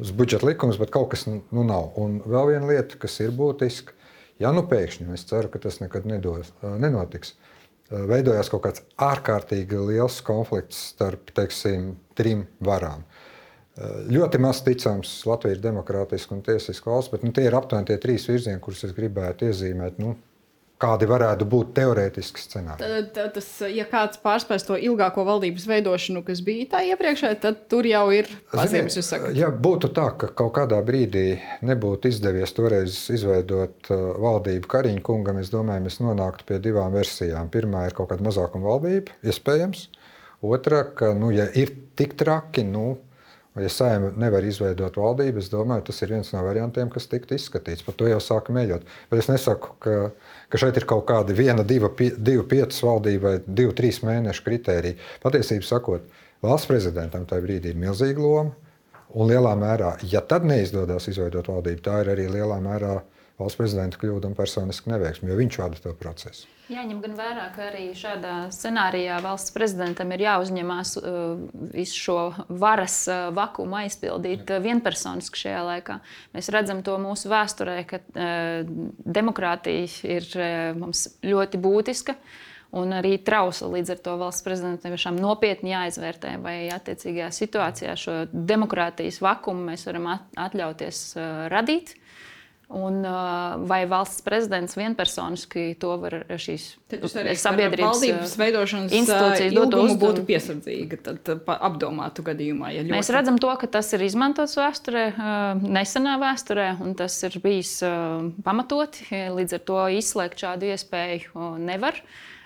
uz budžeta likums, bet kaut kas nu nav. Un vēl viena lieta, kas ir būtiska, ja nu pēkšņi, es ceru, ka tas nekad nedos, nenotiks, veidojās kaut kāds ārkārtīgi liels konflikts starp, teiksim, trim varām. Ļoti maz ticams, Latvija ir demokrātiska un tiesiska valsts, bet nu, tie ir aptuveni tie trīs virzieni, kurus es gribētu iezīmēt. Nu, kādi varētu būt teorētiski scenāriji. Tad, tad, tas, ja kāds pārspēs to ilgāko valdības veidošanu, kas bija tā iepriekšējā, tad tur jau ir pazīmes. Ja būtu tā, ka kaut kādā brīdī nebūtu izdevies toreiz izveidot uh, valdību Kariņa kungam, es domāju, mēs nonāktu pie divām versijām. Pirmā ir kaut kāda mazākuma valdība, iespējams. Otra, ka, nu, ja ir tik traki, nu, ja Saeima nevar izveidot valdību, es domāju, tas ir viens no variantiem, kas tiktu izskatīts. Par to jau sāka mēģot. Bet es nesaku, ka, ka šeit ir kaut kādi viena, diva, divu, piecas valdība vai divu, trīs mēnešu kritēriji. Patiesībā sakot, valsts prezidentam tajā brīdī ir milzīga loma. Un lielā mērā, ja tad neizdodas izveidot valdību, tā ir arī lielā mērā valsts prezidenta kļūda un personiska neveiksme, jo viņš vada to procesu. Jāņem gan vērā, ka arī šādā scenārijā valsts prezidentam ir jāuzņemās uh, visu šo varas uh, vakumu aizpildīt uh, vienpersoniski šajā laikā. Mēs redzam to mūsu vēsturē, ka uh, demokrātija ir uh, mums ļoti būtiska un arī trausla. Līdz ar to valsts prezidentam tiešām nopietni jāizvērtē, vai attiecīgajā situācijā šo demokrātijas vakumu mēs varam atļauties uh, radīt. Un, vai valsts prezidents vienpersoniski to var šīs sabiedrības valdības veidošanas institūcijas dot ilgumu būtu piesardzīga, tad, tad apdomātu gadījumā. Ja ļoti... Mēs redzam to, ka tas ir izmantots vēsturē, nesenā vēsturē, un tas ir bijis pamatoti. Līdz ar to izslēgt šādu iespēju nevar.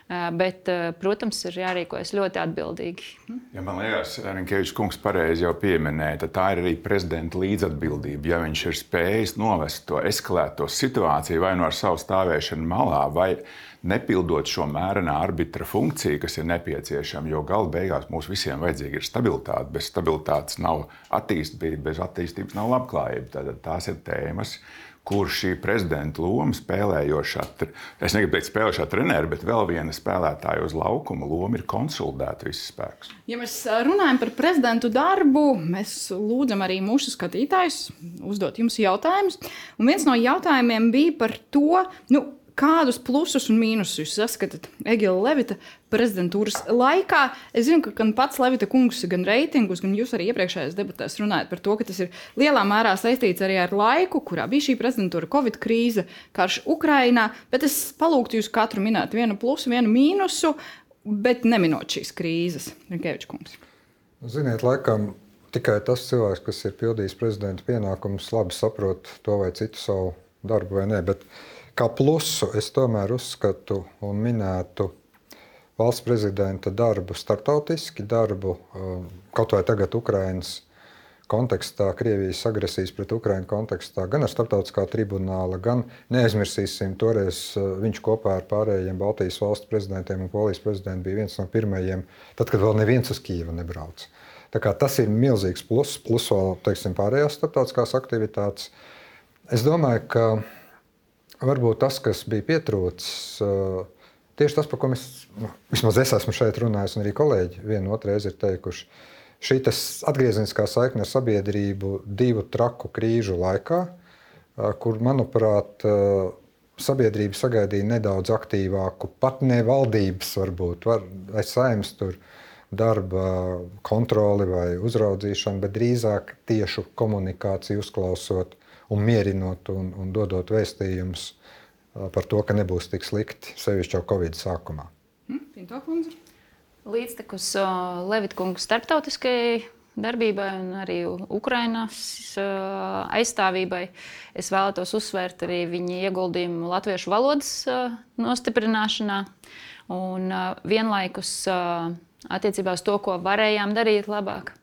Bet, protams, ir jārīkojas ļoti atbildīgi. Ja man liekas, Rinkevičs kungs pareizi jau pieminēja, tad tā ir arī prezidenta līdzatbildība. Ja viņš ir spējis novest to eskalēto situāciju vai no ar savu stāvēšanu malā, vai nepildot šo mērenā arbitra funkciju, kas ir nepieciešama, jo gala beigās mums visiem vajadzīga ir stabilitāte. Bez stabilitātes nav attīstība, bez attīstības nav labklājība. Tātad tās ir tēmas, kur šī prezidenta loma spēlējošā, es negribu teikt spēlējošā treneri, bet vēl viena spēlētāja uz laukuma loma ir konsolidēt visus spēkus. Ja mēs runājam par prezidentu darbu, mēs lūdzam arī mūsu skatītājus uzdot jums jautājumus. Un viens no jautājumiem bija par to, nu, kādus plusus un mīnusus jūs saskatāt Egila Levita prezidentūras laikā? Es zinu, ka gan pats Levita kungs, gan reitingus, gan jūs arī iepriekšējās debatēs runājat par to, ka tas ir lielā mērā saistīts arī ar laiku, kurā bija šī prezidentūra, Covid krīze, karš Ukrainā, bet es palūgtu jūs katru minēt vienu plusu, vienu mīnusu, bet neminot šīs krīzes. Rinkevičs kungs. Ziniet, laikam tikai tas cilvēks, kas ir pildījis prezidenta pienākumus, labi saprot to vai citu savu darbu vai ne, bet kā plusu es tomēr uzskatu un minētu valsts prezidenta darbu starptautiski, darbu kaut vai tagad Ukrainas kontekstā, Krievijas agresijas pret Ukrainu kontekstā, gan ar starptautiskā tribunāla, gan neaizmirsīsim, toreiz viņš kopā ar pārējiem Baltijas valstu prezidentiem un Polijas prezidentu bija viens no pirmajiem, tad, kad vēl neviens uz Kijevu nebrauc. Tā kā tas ir milzīgs plus, plus vēl, teiksim, pārējās starptautiskās aktivitātes. Es domāju, ka varbūt tas, kas bija pietrūcis, tieši tas, par ko mēs, vismaz es esmu šeit runājis, un arī kolēģi vienu otru reizi ir teikuši, šī atgriezeniskā saikne ar sabiedrību divu traku krīžu laikā, kur, manuprāt, sabiedrība sagaidīja nedaudz aktīvāku, pat ne valdības varbūt, vai Saeimas tur darba kontroli vai uzraudzīšanu, bet drīzāk tiešu komunikāciju uzklausot un mierinot un, un dodot vēstījumus par to, ka nebūs tik slikti, sevišķi jau Covid sākumā. Pinto kundze. Līdztekus uh, Levita kunga starptautiskajai darbībai un arī Ukrainas uh, aizstāvībai, es vēlētos uzsvērt arī viņa ieguldījumu latviešu valodas uh, nostiprināšanā un uh, vienlaikus uh, attiecībā uz to, ko varējām darīt labāk.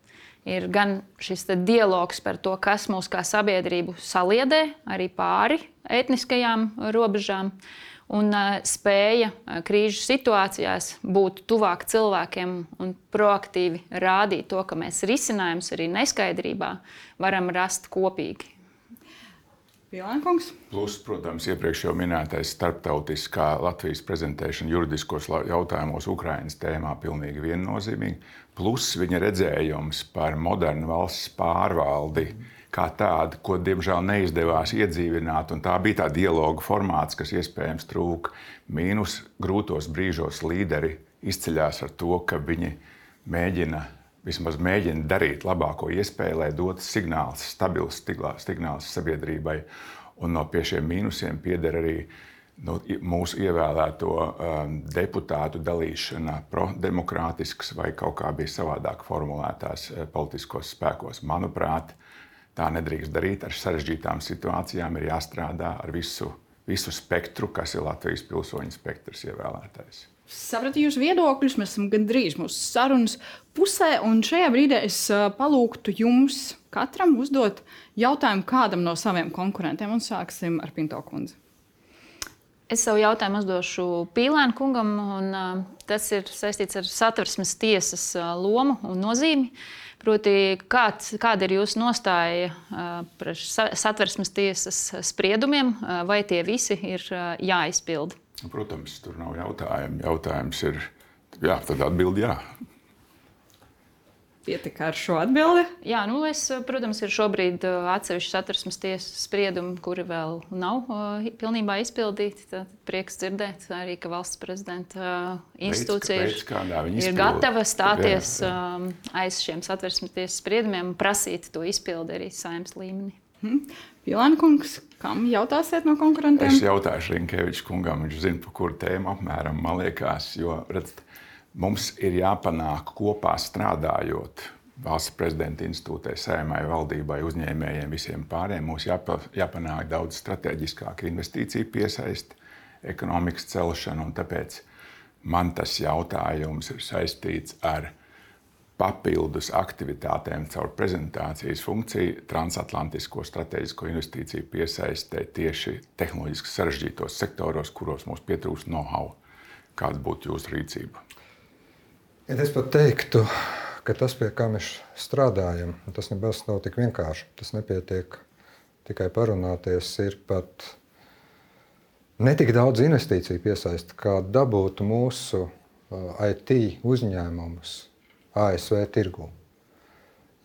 Ir gan šis dialogs par to, kas mūs kā sabiedrību saliedē, arī pāri etniskajām robežām, un uh, spēja uh, krīžu situācijās būt tuvāk cilvēkiem un proaktīvi rādīt to, ka mēs risinājumus arī neskaidrībā varam rast kopīgi. Pielēnkungs. Plus, protams, iepriekš jau minētais starptautiskā Latvijas prezentēšana juridiskos jautājumos Ukrainas tēmā pilnīgi viennozīmīgi. Plus viņa redzējums par modernu valsts pārvaldi kā tādu, ko diemžēl neizdevās iedzīvināt. Un tā bija tā dialoga formāts, kas iespējams trūka. Mīnus grūtos brīžos līderi izceļās ar to, ka viņi mēģina vismaz mēģina darīt labāko iespēju, lai dotu signāls, stabils signāls sabiedrībai. Un no pie šiem mīnusiem pieder arī nu, mūsu ievēlēto um, deputātu dalīšana prodemokrātisks vai kaut kā bija savādāk formulētās uh, politiskos spēkos. Manuprāt, tā nedrīkst darīt. Ar sarežģītām situācijām ir jāstrādā ar visu, visu spektru, kas ir Latvijas pilsoņu spektrs ievēlētais. Sapratu jūsu viedokļus, mēs esam gandrīz mūsu sarunas pusē, un šajā brīdī es palūgtu jums katram uzdot jautājumu kādam no saviem konkurentiem, un sāksim ar Pinto kundzi. Es savu jautājumu uzdošu Pīlēna kungam, un uh, tas ir saistīts ar Satversmes tiesas uh, lomu un nozīmi. Proti, kāds, kāda ir jūsu nostāja uh, par Satversmes tiesas spriedumiem, uh, vai tie visi ir uh, jāizpilda? Protams, tur nav jautājumu. Jautājums ir, jā, tad atbildi jā. Pietika ar šo atbildi? Jā, nu es, protams, ir šobrīd atsevišķi Satversmes tiesas spriedumi, kuri vēl nav uh, pilnībā izpildīti. Tad prieks dzirdēt arī, ka valsts prezidenta uh, institūcija Veids, kādā viņi ir izpilda. gatava stāties Jā, jā. um, aiz šiem Satversmes tiesas spriedumiem un prasīt to izpildi arī Saeimas līmenī. Hmm. Pilēna kungs, kam jautāsiet no konkurentiem? Es jautāšu Rinkeviča kungam, viņš zina, par kuru tēmu apmēram, man liekas, jo, redzat, mums ir jāpanāk kopā strādājot valsts prezidenta institūtē, Saeimai, valdībai, uzņēmējiem, visiem pārējiem. Mums jāpa, jāpanāk daudz strateģiskāka investīcija piesaisti, ekonomikas celšana, un tāpēc man tas jautājums ir saistīts ar papildus aktivitātēm caur prezentācijas funkciju transatlantisko strateģisko investīciju piesaistē tieši tehnoloģiski sarežģītos sektoros, kuros mums pietrūkst know-how. Kāda būtu jūsu rīcība? Ja es pat teiktu, ka tas, pie kā mēs strādājam, tas nebūs nav tik vienkārši. Tas nepietiek tikai parunāties, ir pat ne tik daudz investīciju piesaist, kā dabūt mūsu I T uzņēmumus A S V tirgū.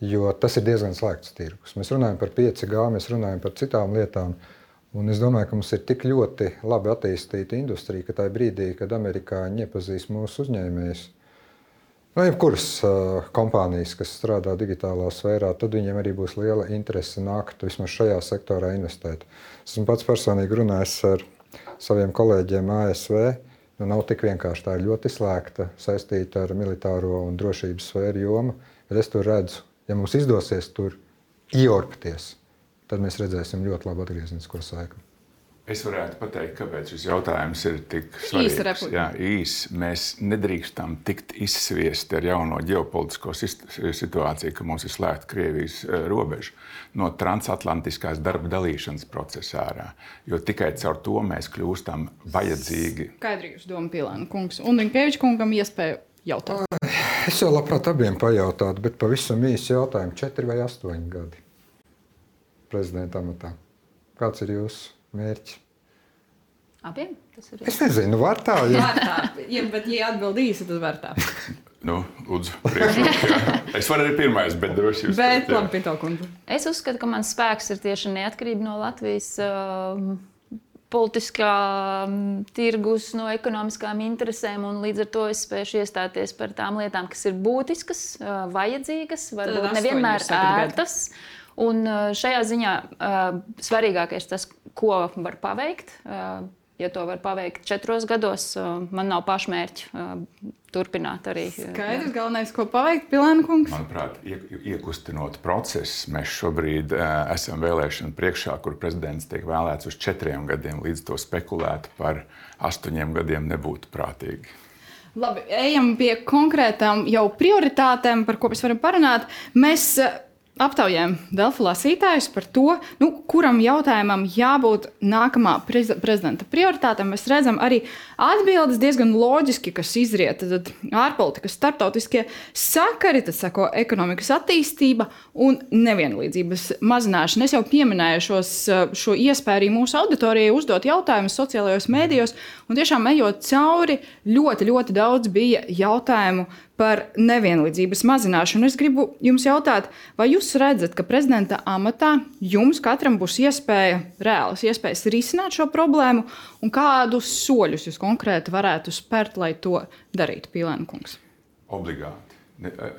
Jo tas ir diezgan slēgts tirgus. Mēs runājam par pieci G, mēs runājam par citām lietām. Un es domāju, ka mums ir tik ļoti labi attīstīta industrija, ka tajā brīdī, kad amerikāņi iepazīs mūsu uzņēmējus, no jebkuras uh, kompānijas, kas strādā digitālā sfērā, tad viņiem arī būs liela interese nākt vismaz šajā sektorā investēt. Esmu pats personīgi runājis ar saviem kolēģiem A S V. Nu, nav tik vienkārši, tā ir ļoti slēgta, saistīta ar militāro un drošības sfēru jomu, bet es tur redzu, ja mums izdosies tur iorpties, tad mēs redzēsim ļoti labu atgrieznisko saikni. Es varētu pateikt, kāpēc šis jautājums ir tik svarīgs. Jā, īs. Mēs nedrīkstam tikt izsviesti ar jauno ģeopolitisko situāciju, ka mums ir slēgta Krievijas robeža no transatlantiskās darba dalīšanas procesa ārā. Jo tikai caur to mēs kļūstam vajadzīgi. Skaidri jūs doma, Pilēna kungs. Un Rinkeviča kungam iespēja jautāt. Es jau labprāt abiem pajautātu, bet pavisam īsi jautājumu. Četri vai astoņi gadi prezidenta amatā. Kāds ir jūsu mērķi? Abiem? Tas ir es nezinu, var tā. Ja... Var tā, ja, bet ja atbild īsi, tad var tā. Nu, lūdzu, priekšrok. Es varu arī pirmais, bet droši jūs. Bet, labi, Pito kundze. Es uzskatu, ka mans spēks ir tieši neatkarība no Latvijas uh, politiskā um, tirgus, no ekonomiskām interesēm, un līdz ar to es spēšu iestāties par tām lietām, kas ir būtiskas, uh, vajadzīgas, varbūt nevienmēr ērtas. Un šajā ziņā uh, svarīgākais tas, ko var paveikt. Uh, ja to var paveikt četros gados, uh, man nav pašmērķi uh, turpināt arī. Skaidrs, galvenais, ko paveikt, Pilēna kungs? Manuprāt, iekustinot procesu, mēs šobrīd uh, esam vēlēšanu priekšā, kur prezidents tiek vēlēts uz četriem gadiem, līdz to spekulēt par astoņiem gadiem nebūtu prātīgi. Labi, ejam pie konkrētām jau prioritātēm, par ko mēs varam parunāt. Mēs aptaujājam Delfi lasītājus par to, nu, kuram jautājumam jābūt nākamā prez prezidenta prioritāte. Mēs redzam arī atbildes diezgan loģiski, kas izriet. Tad ārpolitikas, starptautiskie sakari, tad sako ekonomikas attīstība un nevienlīdzības mazināšana. Es jau pieminēju šos, šo iespēju arī mūsu auditorijai uzdot jautājumus sociālajos mēdījos, un tiešām ejot cauri, ļoti, ļoti daudz bija jautājumu par nevienlīdzības mazināšanu. Es gribu jums jautāt, vai jūs redzat, ka prezidenta amatā jums katram būs iespēja, reālas iespējas risināt šo problēmu, un kādus soļus jūs konkrēti varētu spērt, lai to darītu, Pilēna kungs? Obligāti.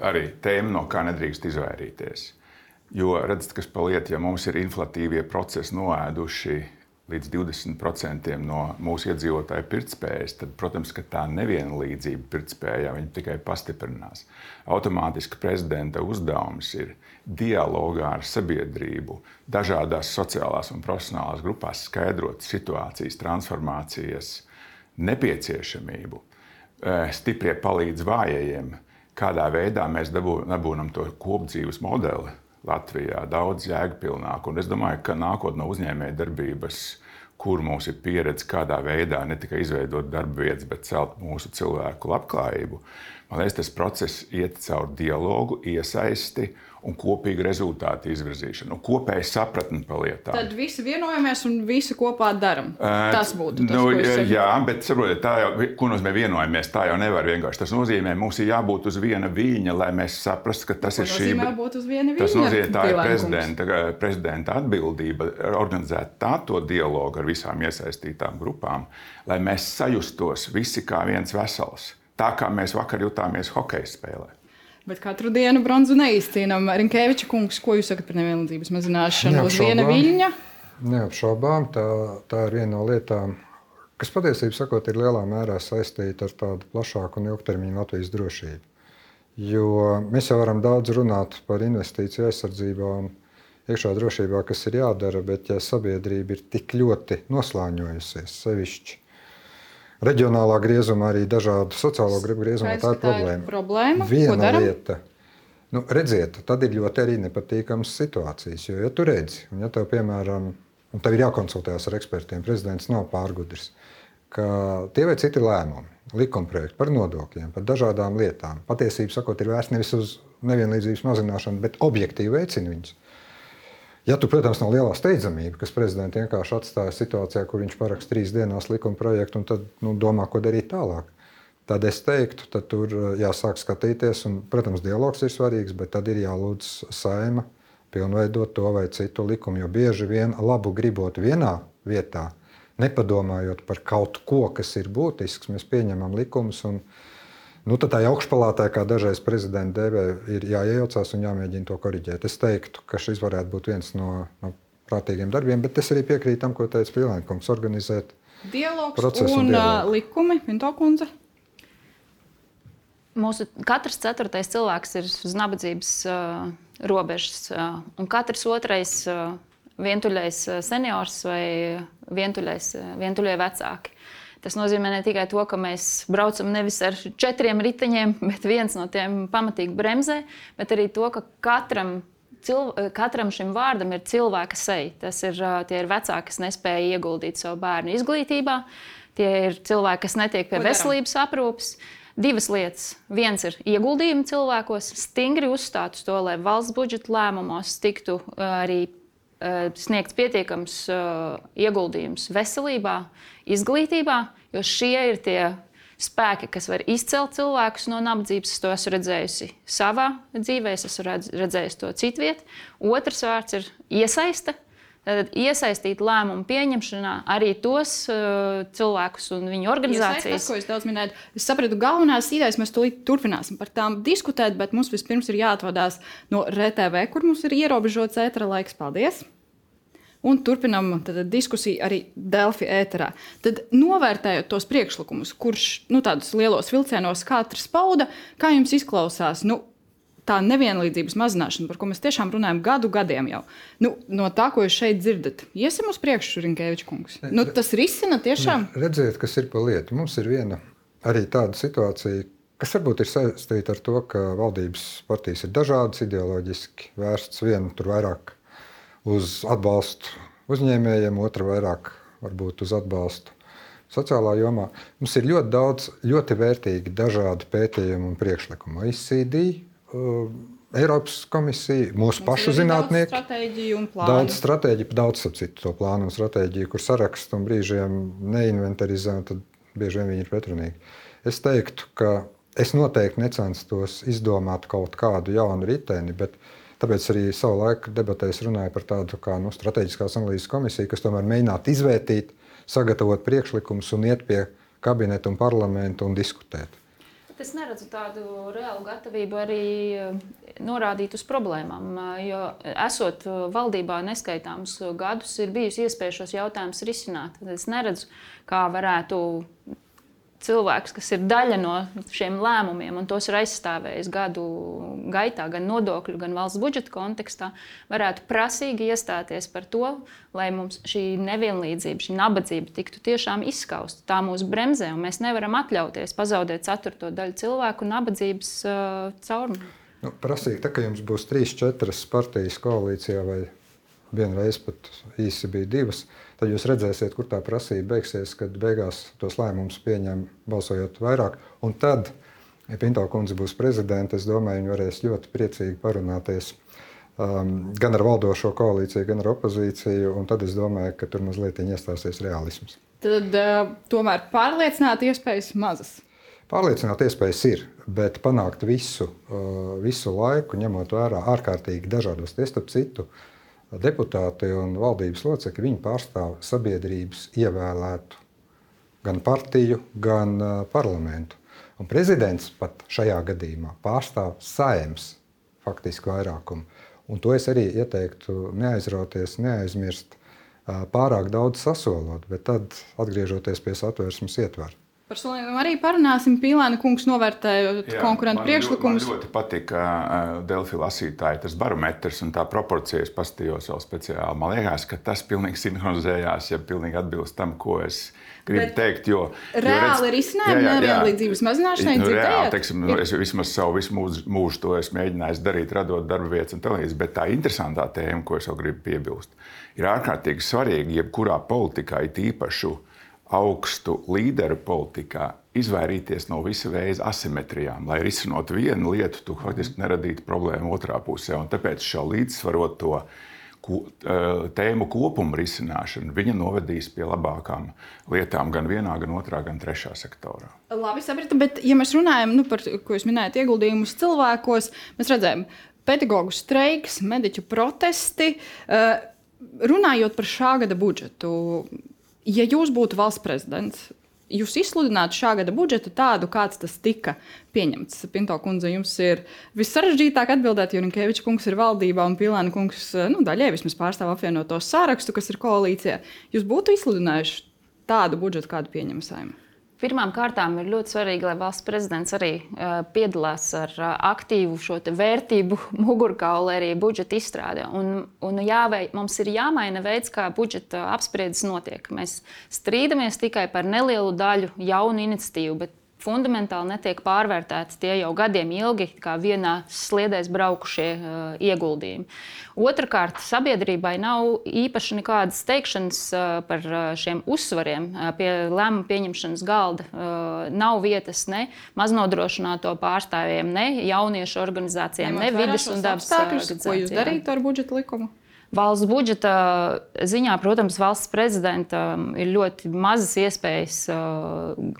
Arī tēma, no kā nedrīkst izvairīties. Jo redzat, kas pa lietu, ja mums ir inflatīvie procesi noēduši līdz divdesmit procentiem no mūsu iedzīvotāju pirktspējas, tad, protams, ka tā nevienlīdzība pirktspējā viņa tikai pastiprinās. Automātiski prezidenta uzdevums ir dialogā ar sabiedrību, dažādās sociālās un profesionālās grupās skaidrot situācijas, transformācijas nepieciešamību, stiprie palīdz vājajiem, kādā veidā mēs dabūnam to kopdzīves modeli Latvijā daudz jēgpilnāk. Un es domāju, ka nākot no uzņēmēja darbības, kur mums ir pieredze kādā veidā ne tikai izveidot darba vietas, bet celt mūsu cilvēku labklājību, Man liekas, tas process iet caur dialogu, iesaisti un kopīgu rezultātu izvirzīšanu, un kopēju sapratni par lietām. Tad visi vienojamies un visi kopā daram. Tas būtu tas, nu, ko es saku. Jā, bet saprotiet, tā jau, ko nozīmē vienojamies, tā jau nevar vienkārši. Tas nozīmē, mums ir jābūt uz viena viļņa, lai mēs saprastu, ka tas Ko ir šī... nozīmē būt uz viena viļņa? Tas nozīmē, tā ir Pielēkums. prezidenta, prezidenta atbildība organizēt tādu dialogu ar visām iesaistītām grupām, lai mēs sajustos visi kā viens vesels. Tā kā mēs vakar jutāmies hokeja spēlē. Bet katru dienu bronzu neizcīnām. Rinkeviča kungs, ko jūs sakat par nevienlīdzības mazināšanu uz viena viļņa? Neapšaubām, tā, tā ir viena no lietām, kas patiesībā sakot, ir lielā mērā saistīta ar tādu plašāku un ilgtermiņu Latvijas drošību. Jo mēs jau varam daudz runāt par investīciju aizsardzībā un iekšā drošībā, kas ir jādara, bet ja sabiedrība ir tik ļoti noslāņojusies, sevišķi reģionālā griezumā, arī dažādu sociālo grupu griezumā, tā ir problēma. problēma. Viena lieta, nu, redziet, tad ir ļoti arī nepatīkamas situācijas, jo, ja tu redzi, un ja tev, piemēram, un tev ir jākonsultējas ar ekspertiem, prezidents nav pārgudris, ka tie vai citi lēmumi, likumprojekti par nodokļiem, par dažādām lietām, patiesībā sakot, ir vērsts nevis uz nevienlīdzības mazināšanu, bet objektīvi veicina viņus. Ja tu, protams, nav lielā steidzamība, kas prezidents vienkārši atstāja situācijā, kur viņš paraksta trīs dienās likuma projektu un tad nu, domā, ko darīt tālāk, tad es teiktu, tad tur jāsāk skatīties, un, protams, dialogs ir svarīgs, bet tad ir jālūdz Saeima pilnveidot to vai citu likumu, jo bieži vien labu gribot vienā vietā, nepadomājot par kaut ko, kas ir būtisks, mēs pieņemam likumus, un nu, tad tā augšpalātē, kā dažreiz prezidenta dēvē, ir jāiejaucās un jāmēģina to koriģēt. Es teiktu, ka šis varētu būt viens no, no prātīgiem darbiem, bet es arī piekrītu tam, ko teica Pielēnkungs, organizēt dialogs procesu un, un un dialogu. likumi. Pinto kundze. Mūsu katrs ceturtais cilvēks ir uz nabadzības uh, robežas, uh, un katrs otrais uh, vientuļais uh, seniors vai vientuļais, uh, vientuļie vecāki. Tas nozīmē ne tikai to, ka mēs braucam nevis ar četriem riteņiem, bet viens no tiem pamatīgi bremzē, bet arī to, ka katram, cilv... katram šim vārdam ir cilvēka seja. Tas ir, tie ir vecāki, kas nespēja ieguldīt savu bērnu izglītībā, tie ir cilvēki, kas netiek pie veselības aprūpes. Divas lietas. Viens ir ieguldījumi cilvēkos, stingri uzstāt uz to, lai valsts budžeta lēmumos tiktu arī sniegts pietiekams uh, ieguldījums veselībā, izglītībā, jo šie ir tie spēki, kas var izcelt cilvēkus no nabadzības. Es to esmu redzējusi savā dzīvē, es esmu redzējusi to citviet. Otrs vārds ir iesaiste. Tad iesaistīt lēmumu pieņemšanā arī tos uh, cilvēkus un viņu organizācijas. Tas, ko es daudz minēju, es sapratu, galvenās idejas mēs tūlīt turpināsim par tām diskutēt, bet mums vispirms ir jāatvadās no R T V, kur mums ir ierobežots ētera laiks. Paldies! Un turpinām tad, diskusiju arī Delfi ēterā. Tad novērtējot tos priekšlikumus, kurš nu, tādus lielos vilcienos katrs pauda, kā jums izklausās? Nu, tā nevienlīdzības mazināšana, par ko mēs tiešām runājam gadu gadiem jau. Nu, no tā, ko jūs šeit dzirdat, iesim uz priekšu, Rinkeviča kungs. Nu, tas risina tiešām? Redziet, kas ir pa lietu. Mums ir viena arī tāda situācija, kas varbūt ir saistīta ar to, ka valdības partijas ir dažādas, ideoloģiski vērsts viena tur vairāk uz atbalstu uzņēmējiem, otra vairāk varbūt uz atbalstu sociālā jomā. Mums ir ļoti daudz ļoti vērtīgi dažādi pētījumi un priekšlikumi. O E C D, Uh, Eiropas komisija, mūsu Mums pašu zinātnieki. Daudz stratēģiju un plānu. Daudz stratēģiju, daudz citu to plānu un stratēģiju, kur sarakstu un brīžiem neinventarizē, un tad bieži vien viņi ir pretrunīgi. Es teiktu, ka es noteikti necenstos izdomāt kaut kādu jaunu riteni, bet tāpēc arī savu laiku debatēs runāju par tādu kā nu, strateģiskās analīzes komisiju, kas tomēr mēģinātu izvērtīt, sagatavot priekšlikumus un iet pie kabineta un parlamenta un diskutēt. Es neredzu tādu reālu gatavību arī norādīt uz problēmām, jo esot valdībā neskaitāmus gadus, ir bijusi iespēja šos jautājumus risināt. Es neredzu, kā varētu cilvēks, kas ir daļa no šiem lēmumiem un tos ir aizstāvējis gadu gaitā, gan nodokļu, gan valsts budžeta kontekstā, varētu prasīgi iestāties par to, lai mums šī nevienlīdzība, šī nabadzība tiktu tiešām izskausta. Tā mūs bremzē, un mēs nevaram atļauties pazaudēt ceturto daļu cilvēku nabadzības uh, caurumu. Nu, prasīgi, tā, ka jums būs trīs, četras partijas koalīcijā vai vienreiz pat īsi bija divas, tad jūs redzēsiet, kur tā prasība beigsies, kad beigās tos lēmumus pieņem balsojot vairāk. Un tad ja Pinto kundze būs prezidente, es domāju, viņi varēs ļoti priecīgi parunāties um, gan ar valdošo koalīciju, gan ar opozīciju, un tad es domāju, ka tur mazliet iestāsies realisms. Tad uh, tomēr pārliecināt iespējas mazas. Pārliecināt iespējas ir, bet panākt visu, uh, visu laiku, ņemot vērā ārkārtīgi dažādos, tie starp citu, deputāti un valdības locekļi, viņi pārstāv sabiedrības ievēlētu gan partiju, gan uh, parlamentu. Un prezidents pat šajā gadījumā pārstāv Saeimas faktiski vairākumu. Un to es arī ieteiktu neaizrauties, neaizmirst, uh, pārāk daudz sasolot, bet tad atgriežoties pie Satversmes ietvara. Par solījumiem arī parunāsim. Pīlēna kungs novērtējot konkurentu priekšlikumus. Man ļoti patika uh, Delfi lasītāji tas barometrs un tā proporcijas pastījos vēl speciāli. Man liekas, ka tas pilnīgi sinhronizējās, ja pilnīgi atbilst tam, ko es gribu Bet teikt. Jo, reāli ir izcinājumi nevienlīdzības mazināšanai nu, dzirdējāt? Reāli, teiksim, nu, es vismaz savu visu mūžu, mūžu to esmu mēģinājis darīt, radot darba vietas un televīzijas. Bet tā interesantā tēma, ko es vēl gribu piebilst, ir ārkārtīgi svarīgi, jebkurā politikā, it īpašu augstu līderu politikā, izvairīties no visa veida asimetrijām, lai risinot vienu lietu, tu faktiski neradītu problēmu otrā pusē. Un tāpēc šo līdzsvaroto tēmu kopumu risināšanu viņa novedīs pie labākām lietām gan vienā, gan otrā, gan trešā sektorā. Labi, sapratu, bet ja mēs runājam, nu, par, ko jūs minējat, ieguldījumus cilvēkos, mēs redzējām pedagogu streiks, mediķu protesti, runājot par šā gada budžetu. Ja jūs būtu valsts prezidents, jūs izsludinātu šā gada budžetu tādu, kāds tas tika pieņemts. Pinto kundze, jums ir vissarežģītāk atbildēt, jo Rinkeviča kungs ir valdībā un Pīlēna kungs nu, daļai vismaz pārstāv apvienoto sarakstu, kas ir koalīcijā. Jūs būtu izsludinājuši tādu budžetu, kādu pieņem Saeima? Pirmām kārtām ir ļoti svarīgi, lai valsts prezidents arī uh, piedalās ar uh, aktīvu šo vērtību mugurkauli arī budžeta izstrādē. Un, un jāvei, mums ir jāmaina veids, kā budžeta apspriedes notiek. Mēs strīdamies tikai par nelielu daļu jaunu iniciatīvu, bet fundamentāli netiek pārvērtēti tie jau gadiem ilgi, kā vienā sliedēs braukušie uh, ieguldījumi. Otrakārt, sabiedrībai nav īpaši nekādas teikšanas uh, par uh, šiem uzsvariem uh, pie lēmumu pieņemšanas galda. Uh, nav vietas ne maznodrošināto pārstāvjiem, ne jauniešu organizācijām, ne vides un dabas organizācijām. Ko jūs darītu ar budžeta likumu? Valsts budžeta ziņā, protams, valsts prezidentam ir ļoti mazas iespējas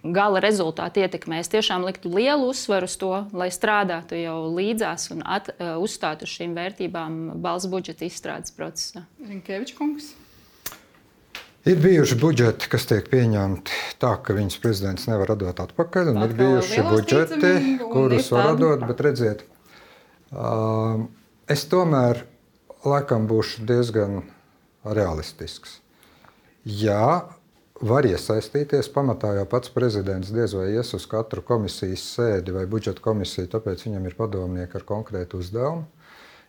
gala rezultātu ietekmē. Es tiešām liktu lielu uzsvaru uz to, lai strādātu jau līdzās un at, uzstātu uz šīm vērtībām valsts budžeta izstrādes procesā. Rinkeviča kungs? Ir bijuši budžeti, kas tiek pieņemti tā, ka viņas prezidents nevar atdot atpakaļ, un tā, ir bijuši budžeti, kurus var atdot, bet redziet, uh, es tomēr laikam būšu diezgan realistisks. Jā, var iesaistīties, pamatā jau pats prezidents diez vai ies uz katru komisijas sēdi vai budžeta komisiju, tāpēc viņam ir padomnieki ar konkrētu uzdevumu.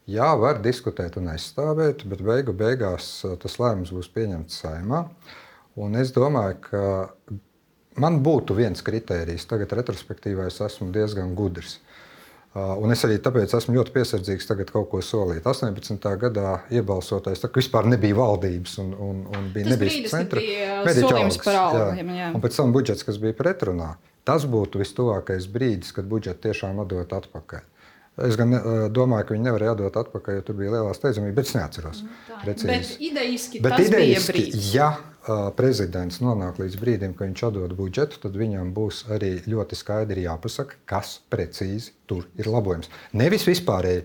Jā, var diskutēt un aizstāvēt, bet beigu beigās tas lēmums būs pieņemts Saeimā. Un es domāju, ka man būtu viens kritērijs, tagad retrospektīvā es esmu diezgan gudrs. Un es arī tāpēc esmu ļoti piesardzīgs tagad kaut ko solīt. astoņpadsmitā gadā iebalsotais, tā kā vispār nebija valdības un, un, un bija tas nebija centra. Tas bija solījums par algām. Un pēc tam budžets, kas bija pretrunā, tas būtu vistuvākais brīdis, kad budžetu tiešām atdot atpakaļ. Es gan domāju, ka viņi nevarēja atdot atpakaļ, jo tur bija lielā steidzamība, bet es neatceros precīzi. Bet idejiski bet tas idejiski, bija brīdis. Ja uh, prezidents nonāk līdz brīdim, ka viņš atdod budžetu, tad viņam būs arī ļoti skaidri jāpasaka, kas precīzi tur ir labojums. Nevis vispārēji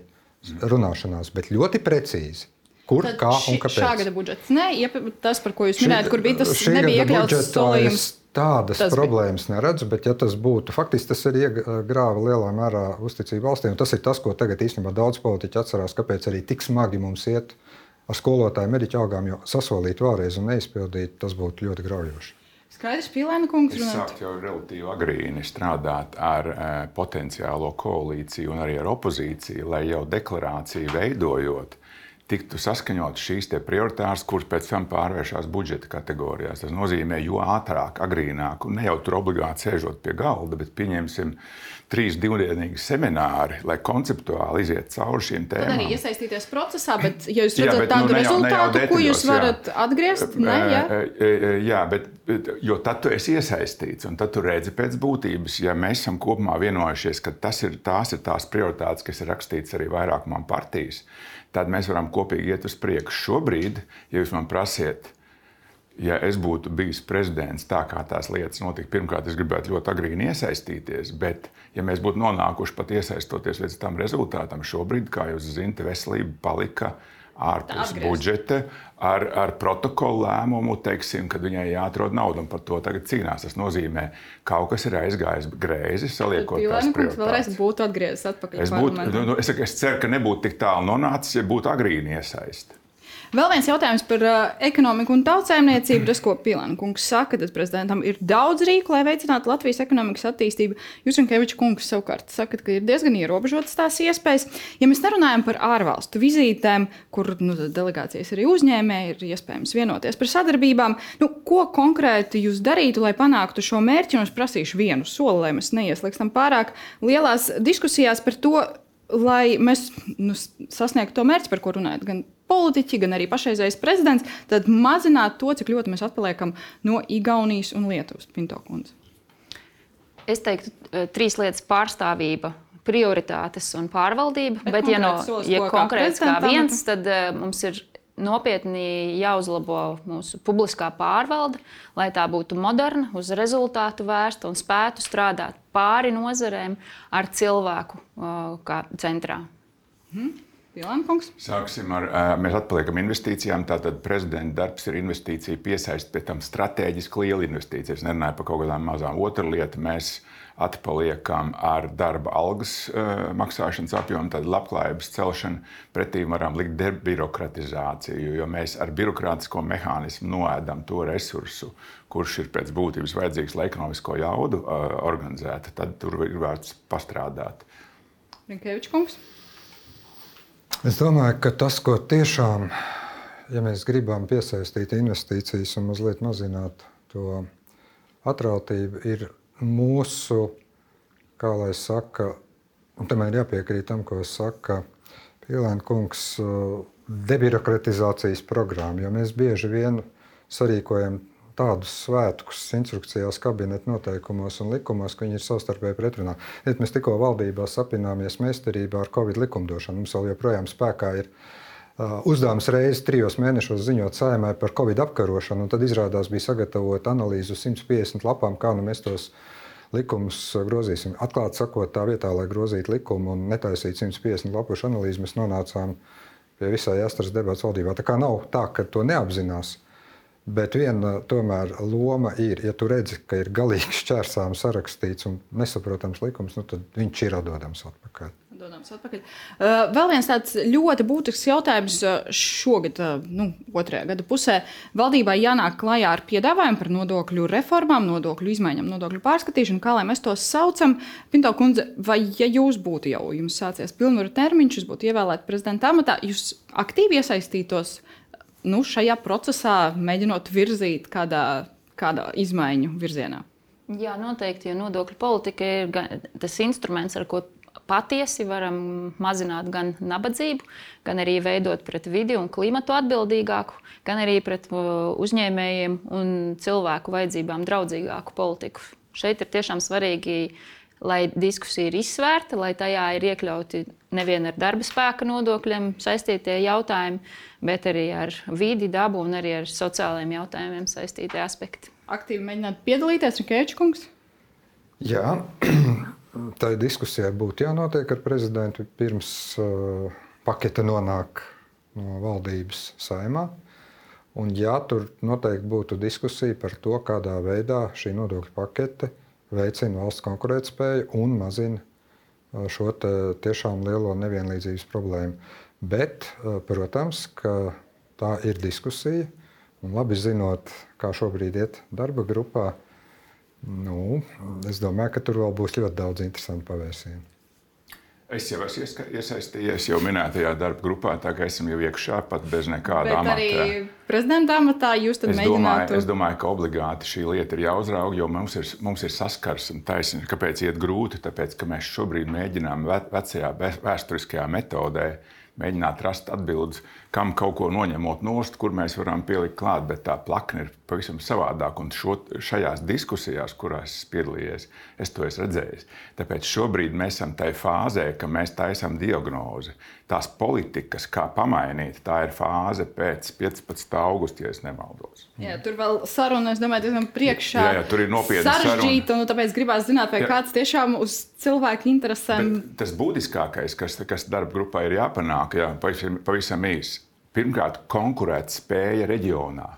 runāšanās, bet ļoti precīzi. Kur, tad kā un kāpēc. Šā gada budžets. Nē, ja tas, par ko jūs minējat, kur bija tas šī nebija iekļauts solījums. Tādas problēmas bija. Neredzu, bet ja tas būtu, faktiski tas arī grāva lielā mērā uzticību valstī, un tas ir tas, ko tagad īstenībā daudz politiķi atcerās, kāpēc arī tik smagi mums iet ar skolotāju mediķu algām, jo sasolīt vēlreiz un neizpildīt, tas būtu ļoti graujoši. Skaidrs, Pīlēna kungs runāt. Es sāktu jau relatīvi agrīni strādāt ar e, potenciālo koalīciju un arī ar opozīciju, lai jau deklarāciju veidojot, tiktu saskaņot šīs te prioritāras, kuras pēc tam pārvēršās budžeta kategorijās. Tas nozīmē, jo ātrāk, agrīnāk, un ne jau tur obligāti sēžot pie galda, bet pieņemsim trīs divdienīgi semināri, lai konceptuāli iziet cauri šīm tēmām. Tad arī iesaistīties procesā, bet ja jūs redzat jā, bet, tādu nu, ne jau, rezultātu, ne jau detaļos, ko jūs varat jā. atgriezt, ne, jā? Jā, bet Jo tad tu esi iesaistīts, un tad tu redzi pēc būtības, ja mēs esam kopumā vienojušies, ka tas ir, tās ir tās prioritātes, kas ir rakstītas arī vairākumam partijas, tad mēs varam kopīgi iet uz priekšu. Šobrīd, ja jūs man prasiet, ja es būtu bijis prezidents tā, kā tās lietas notika, pirmkārt, es gribētu ļoti agrīni iesaistīties, bet ja mēs būtu nonākuši pat iesaistoties līdz tam rezultātam, šobrīd, kā jūs zināt, veselība palika ārpus budžeta, ar, ar protokolu lēmumu, teiksim, kad viņai jāatrod nauda, un par to tagad cīnās. Tas nozīmē, ka kaut kas ir aizgājis greizi, saliekot tās prioritātes. Vēlreiz būtu atgriezis atpakaļ es, būtu, nu, es, es ceru, ka nebūtu tik tālu nonācis, ja būtu agrīni iesaisti. Vēl viens jautājums par uh, ekonomiku un tautsēmniecību. Tas, ko Pilēna kungs saka, tad prezidentam ir daudz rīku, lai veicinātu Latvijas ekonomikas attīstību. Jūs, Rinkeviča kungs, savukārt sakat, ka ir diezgan ierobežotas tās iespējas. Ja mēs nerunājam par ārvalstu vizītēm, kur nu, delegācijas arī uzņēmēji, ir iespējams vienoties par sadarbībām, nu, ko konkrēti jūs darītu, lai panāktu šo mērķi? Un es prasīšu vienu soli, lai mēs neieslīgstam pārāk lielās diskusijās par to, lai mēs nu, sasniegtu to mērķi, par ko runājat gan politiķi, gan arī pašreizējais prezidents, tad mazināt to, cik ļoti mēs atpaliekam no Igaunijas un Lietuvas. Pinto kundze. Es teiktu, trīs lietas - pārstāvība, prioritātes un pārvaldība. Bet, bet ja, no, ja konkrēts kā viens, tad uh, mums ir nopietni jāuzlabo mūsu publiskā pārvalde, lai tā būtu moderna, uz rezultātu vērsta un spētu strādāt pāri nozarēm ar cilvēku uh, kā centrā. Hmm. Pilēnkungs. Sāksim ar, mēs atpaliekam investīcijām. Tātad prezidenta darbs ir investīcija piesaist, pēc tam strateģiski liela investīcija. Es nerunāju par kaut kādām mazām. Otra lieta, mēs atpaliekam ar darba algas uh, maksāšanas apjomu, tad labklājības celšanu, pretī varam likt debirokratizāciju, jo mēs ar birokrātisko mehānismu noēdam to resursu, kurš ir pēc būtības vajadzīgs, lai ekonomisko jaudu uh, organizētu. Tad tur ir vērts pastrādāt. Rinkeviča kungs. Es domāju, ka tas, ko tiešām, ja mēs gribam piesaistīt investīcijas un mazliet mazināt to atrautību, ir mūsu, kā lai saka, un tomēr jāpiekrīt tam, ko saka Pilēna kungs, debirokratizācijas programma, jo mēs bieži vien sarīkojam tādus svētkus instrukcijās, kabineta noteikumos un likumos, ka viņi ir savstarpēji pretrunā. Mēs tikko valdībā sapināmies meistarībā ar Covid likumdošanu. Mums vēl joprojām spēkā ir uh, uzdevums reizi trijos mēnešos ziņot Saeimai par Covid apkarošanu, un tad izrādās bija sagatavot analīzi uz simt piecdesmit lapām, kā nu mēs tos likumus grozīsim. Atklāti sakot, tā vietā, lai grozītu likumu un netaisītu simt piecdesmit lapušu analīzi, mēs nonācām pie visai astras debats valdībā. Tā kā nav tā, ka to neapzinās. Bet viena tomēr loma ir, ja tu redzi, ka ir galīgi šķērsām sarakstīts un nesaprotams likums, nu tad viņš ir atdodams atpakaļ. Atdodams atpakaļ. Uh, vēl viens tāds ļoti būtisks jautājums šogad, uh, nu, otrajā gada pusē. Valdībai jānāk klajā ar piedāvājumu par nodokļu reformām, nodokļu izmaiņām, nodokļu pārskatīšanu, kā lai mēs tos saucam. Pinto kundze, vai ja jūs būtu jau, jums sācies pilnvaru termiņš, jūs būtu ievēlēti prezidenta amatā, jūs aktīvi iesaistītos nu, šajā procesā, mēģinot virzīt kādā, kādā izmaiņu virzienā? Jā, noteikti, jo nodokļu politika ir gan, tas instruments, ar ko patiesi varam mazināt gan nabadzību, gan arī veidot pret vidi un klimatu atbildīgāku, gan arī pret uzņēmējiem un cilvēku vajadzībām draudzīgāku politiku. Šeit ir tiešām svarīgi, lai diskusija ir izsvērta, lai tajā ir iekļauti nevien ar darba spēka nodokļiem saistītie jautājumi, bet arī ar vidi, dabu un arī ar sociālajiem jautājumiem saistītie aspekti. Aktīvi mēģināt piedalīties, Rinkeviča kungs? Jā, tā diskusijai būtu jānotiek ar prezidentu pirms uh, pakete nonāk no valdības Saeimā. Un jā, tur noteikti būtu diskusija par to, kādā veidā šī nodokļu pakete veicina valsts konkurētspēju un mazina šo tiešām lielo nevienlīdzības problēmu. Bet, protams, ka tā ir diskusija, un labi zinot, kā šobrīd iet darba grupā, nu, es domāju, ka tur vēl būs ļoti daudz interesantu pavērsienu. Es jau esmu iesaistījies jau minētajā darba grupā, tā kā esam jau iekšā pat bez nekāda amata. Bet arī prezidenta amatā, jūs tad es mēģinātu... Domāju, es domāju, ka obligāti šī lieta ir jāuzrauga, jo mums ir, mums ir saskars un taisnība. Kāpēc iet grūti? Tāpēc, ka mēs šobrīd mēģinām vecajā vēsturiskajā metodē mēģināt rast atbildes, kam kaut ko noņemot nost, kur mēs varam pielikt klāt, bet tā plakne ir pavisam savādāk. Un šo, šajās diskusijās, kurās es piedalījies, es to esmu redzējis. Tāpēc šobrīd mēs esam tajā fāzē, ka mēs taisām diagnozi. Tās politikas, kā pamainīt, tā ir fāze pēc piecpadsmitā augusta, ja es nemaldos. Jā, tur vēl saruna, es domāju, diezgan priekšā jā, jā, tur ir nopietna sarežģīta, un tāpēc gribās zināt, vai jā. Kāds tiešām uz cilvēku interesēm... Bet tas būtiskākais, kas, kas darba grupā ir jāpanāk, jā, pavisam, pavisam īsi. Pirmkārt, konkurēt spēja reģionā.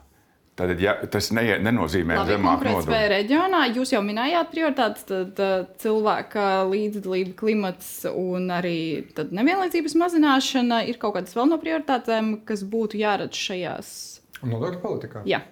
Tad, ja, tas ne, nenozīmē Labi, zemāk konkurēt spēja reģionā. Jūs jau minējāt prioritātes, tad cilvēka līdzdalība, klimats un arī tad nevienlīdzības mazināšana ir kaut kādas vēl no prioritātēm, kas būtu jāredz šajās... Nodokļu politikā? Jā.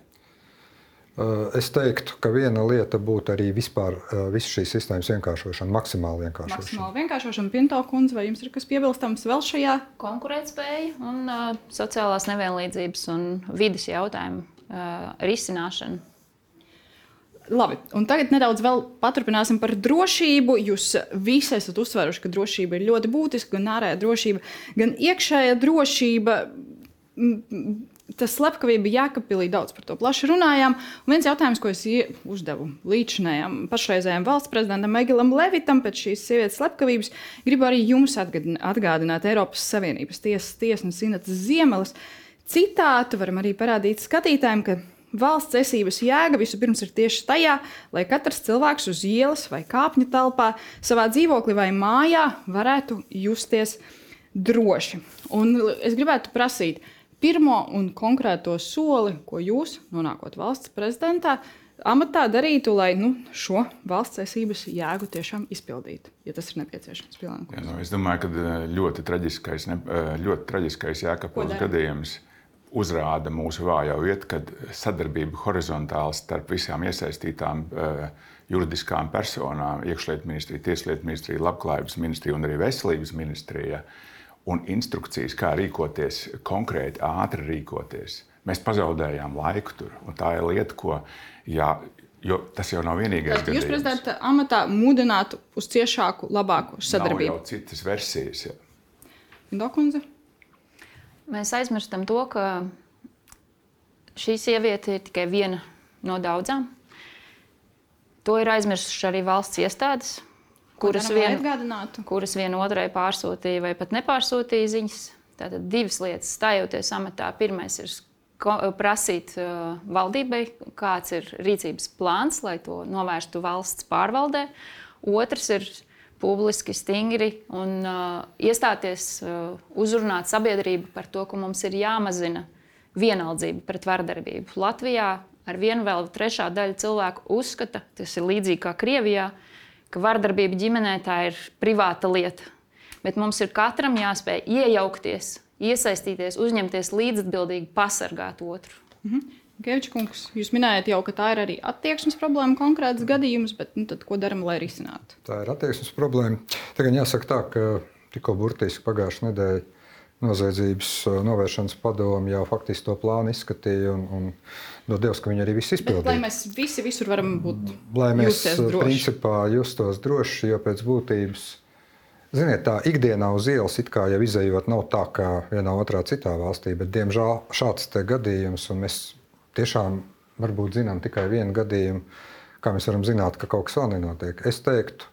Es teiktu, ka viena lieta būtu arī vispār visu šīs sistēmas vienkāršošana, maksimāli vienkāršošana. Maksimāli vienkāršošana. Pinto kundze, vai jums ir kas piebilstams vēl šajā? Konkurētspēja un uh, sociālās nevienlīdzības un vides jautājumu uh, risināšana. Labi, un tagad nedaudz vēl paturpināsim par drošību. Jūs visi esat uzsveruši, ka drošība ir ļoti būtiska, gan ārējā drošība, gan iekšējā drošība. Tas slepkavība Jēkabpilī, daudz par to plaši runājām. Un viens jautājums, ko es uzdevu līdzinājām pašreizējām valsts prezidentam Egilam Levitam pēc šīs sievietes slepkavības, gribu arī jums atgādināt Eiropas Savienības tiesas tiesnes Inetas Ziemeles citātu. Varam arī parādīt skatītājiem, ka valsts esības jēga vispirms ir tieši tajā, lai katrs cilvēks uz ielas vai kāpņu telpā, savā dzīvoklī vai mājā varētu justies droši. Un es gribētu prasīt, pirmo un konkrēto soli, ko jūs, nonākot valsts prezidentā, amatā darītu, lai nu, šo valsts esības jēgu tiešām izpildītu, ja tas ir nepieciešams. Jā, nu, es domāju, ka ļoti traģiskais, ļoti traģiskais Jēkabpils gadījums uzrāda mūsu vājo vietu, kad sadarbība horizontāli starp visām iesaistītām juridiskām personām, iekšlietu ministrija, tieslietu ministrija, labklājības ministrija un arī veselības ministrija, un instrukcijas, kā rīkoties, konkrēti ātri rīkoties. Mēs pazaudējām laiku tur, un tā ir lieta, ko, jā, jo tas jau nav vienīgais Tad gadījums. Jūs prezidenta amatā mudinātu uz ciešāku, labāku sadarbību? Nav jau citas versijas. Pinto kundze? Mēs aizmirstam to, ka šī sieviete ir tikai viena no daudzām. To ir aizmirsuši arī valsts iestādes. Kuras, vien, kuras vienotrai pārsūtīja vai pat nepārsūtīja ziņas. Tātad divas lietas. Stājoties amatā, pirmais ir prasīt uh, valdībai, kāds ir rīcības plāns, lai to novērstu valsts pārvaldē. Otrs ir publiski stingri un uh, iestāties, uh, uzrunāt sabiedrību par to, ka mums ir jāmazina vienaldzība pret vardarbību. Latvijā ar vienu vēl trešā daļa cilvēku uzskata, tas ir līdzīgi kā Krievijā, ka vardarbība ģimenē tā ir privāta lieta. Bet mums ir katram jāspēj iejaukties, iesaistīties, uzņemties līdzatbildīgi, pasargāt otru. Mhm. Geviča kungs, jūs minējat jau, ka tā ir arī attieksmes problēma, konkrēts gadījums, bet nu, tad, ko daram, lai risinātu? Tā ir attieksmes problēma. Tagad jāsaka tā, ka tikko burtiski pagājušā nedēļa noziedzības novēršanas padomu jau faktiski to plānu izskatīja un, un dod Dievs, ka viņi arī viss izpildīja. Bet, lai mēs visi visur varam būt lai mēs principā justos droši, jo pēc būtības, ziniet, tā ikdienā uz ielas it kā jau izejot nav tā kā vienā otrā citā valstī, bet diemžēl šāds te gadījums, un mēs tiešām varbūt zinām tikai vienu gadījumu, kā mēs varam zināt, ka kaut kas vēl nenotiek. Es teiktu,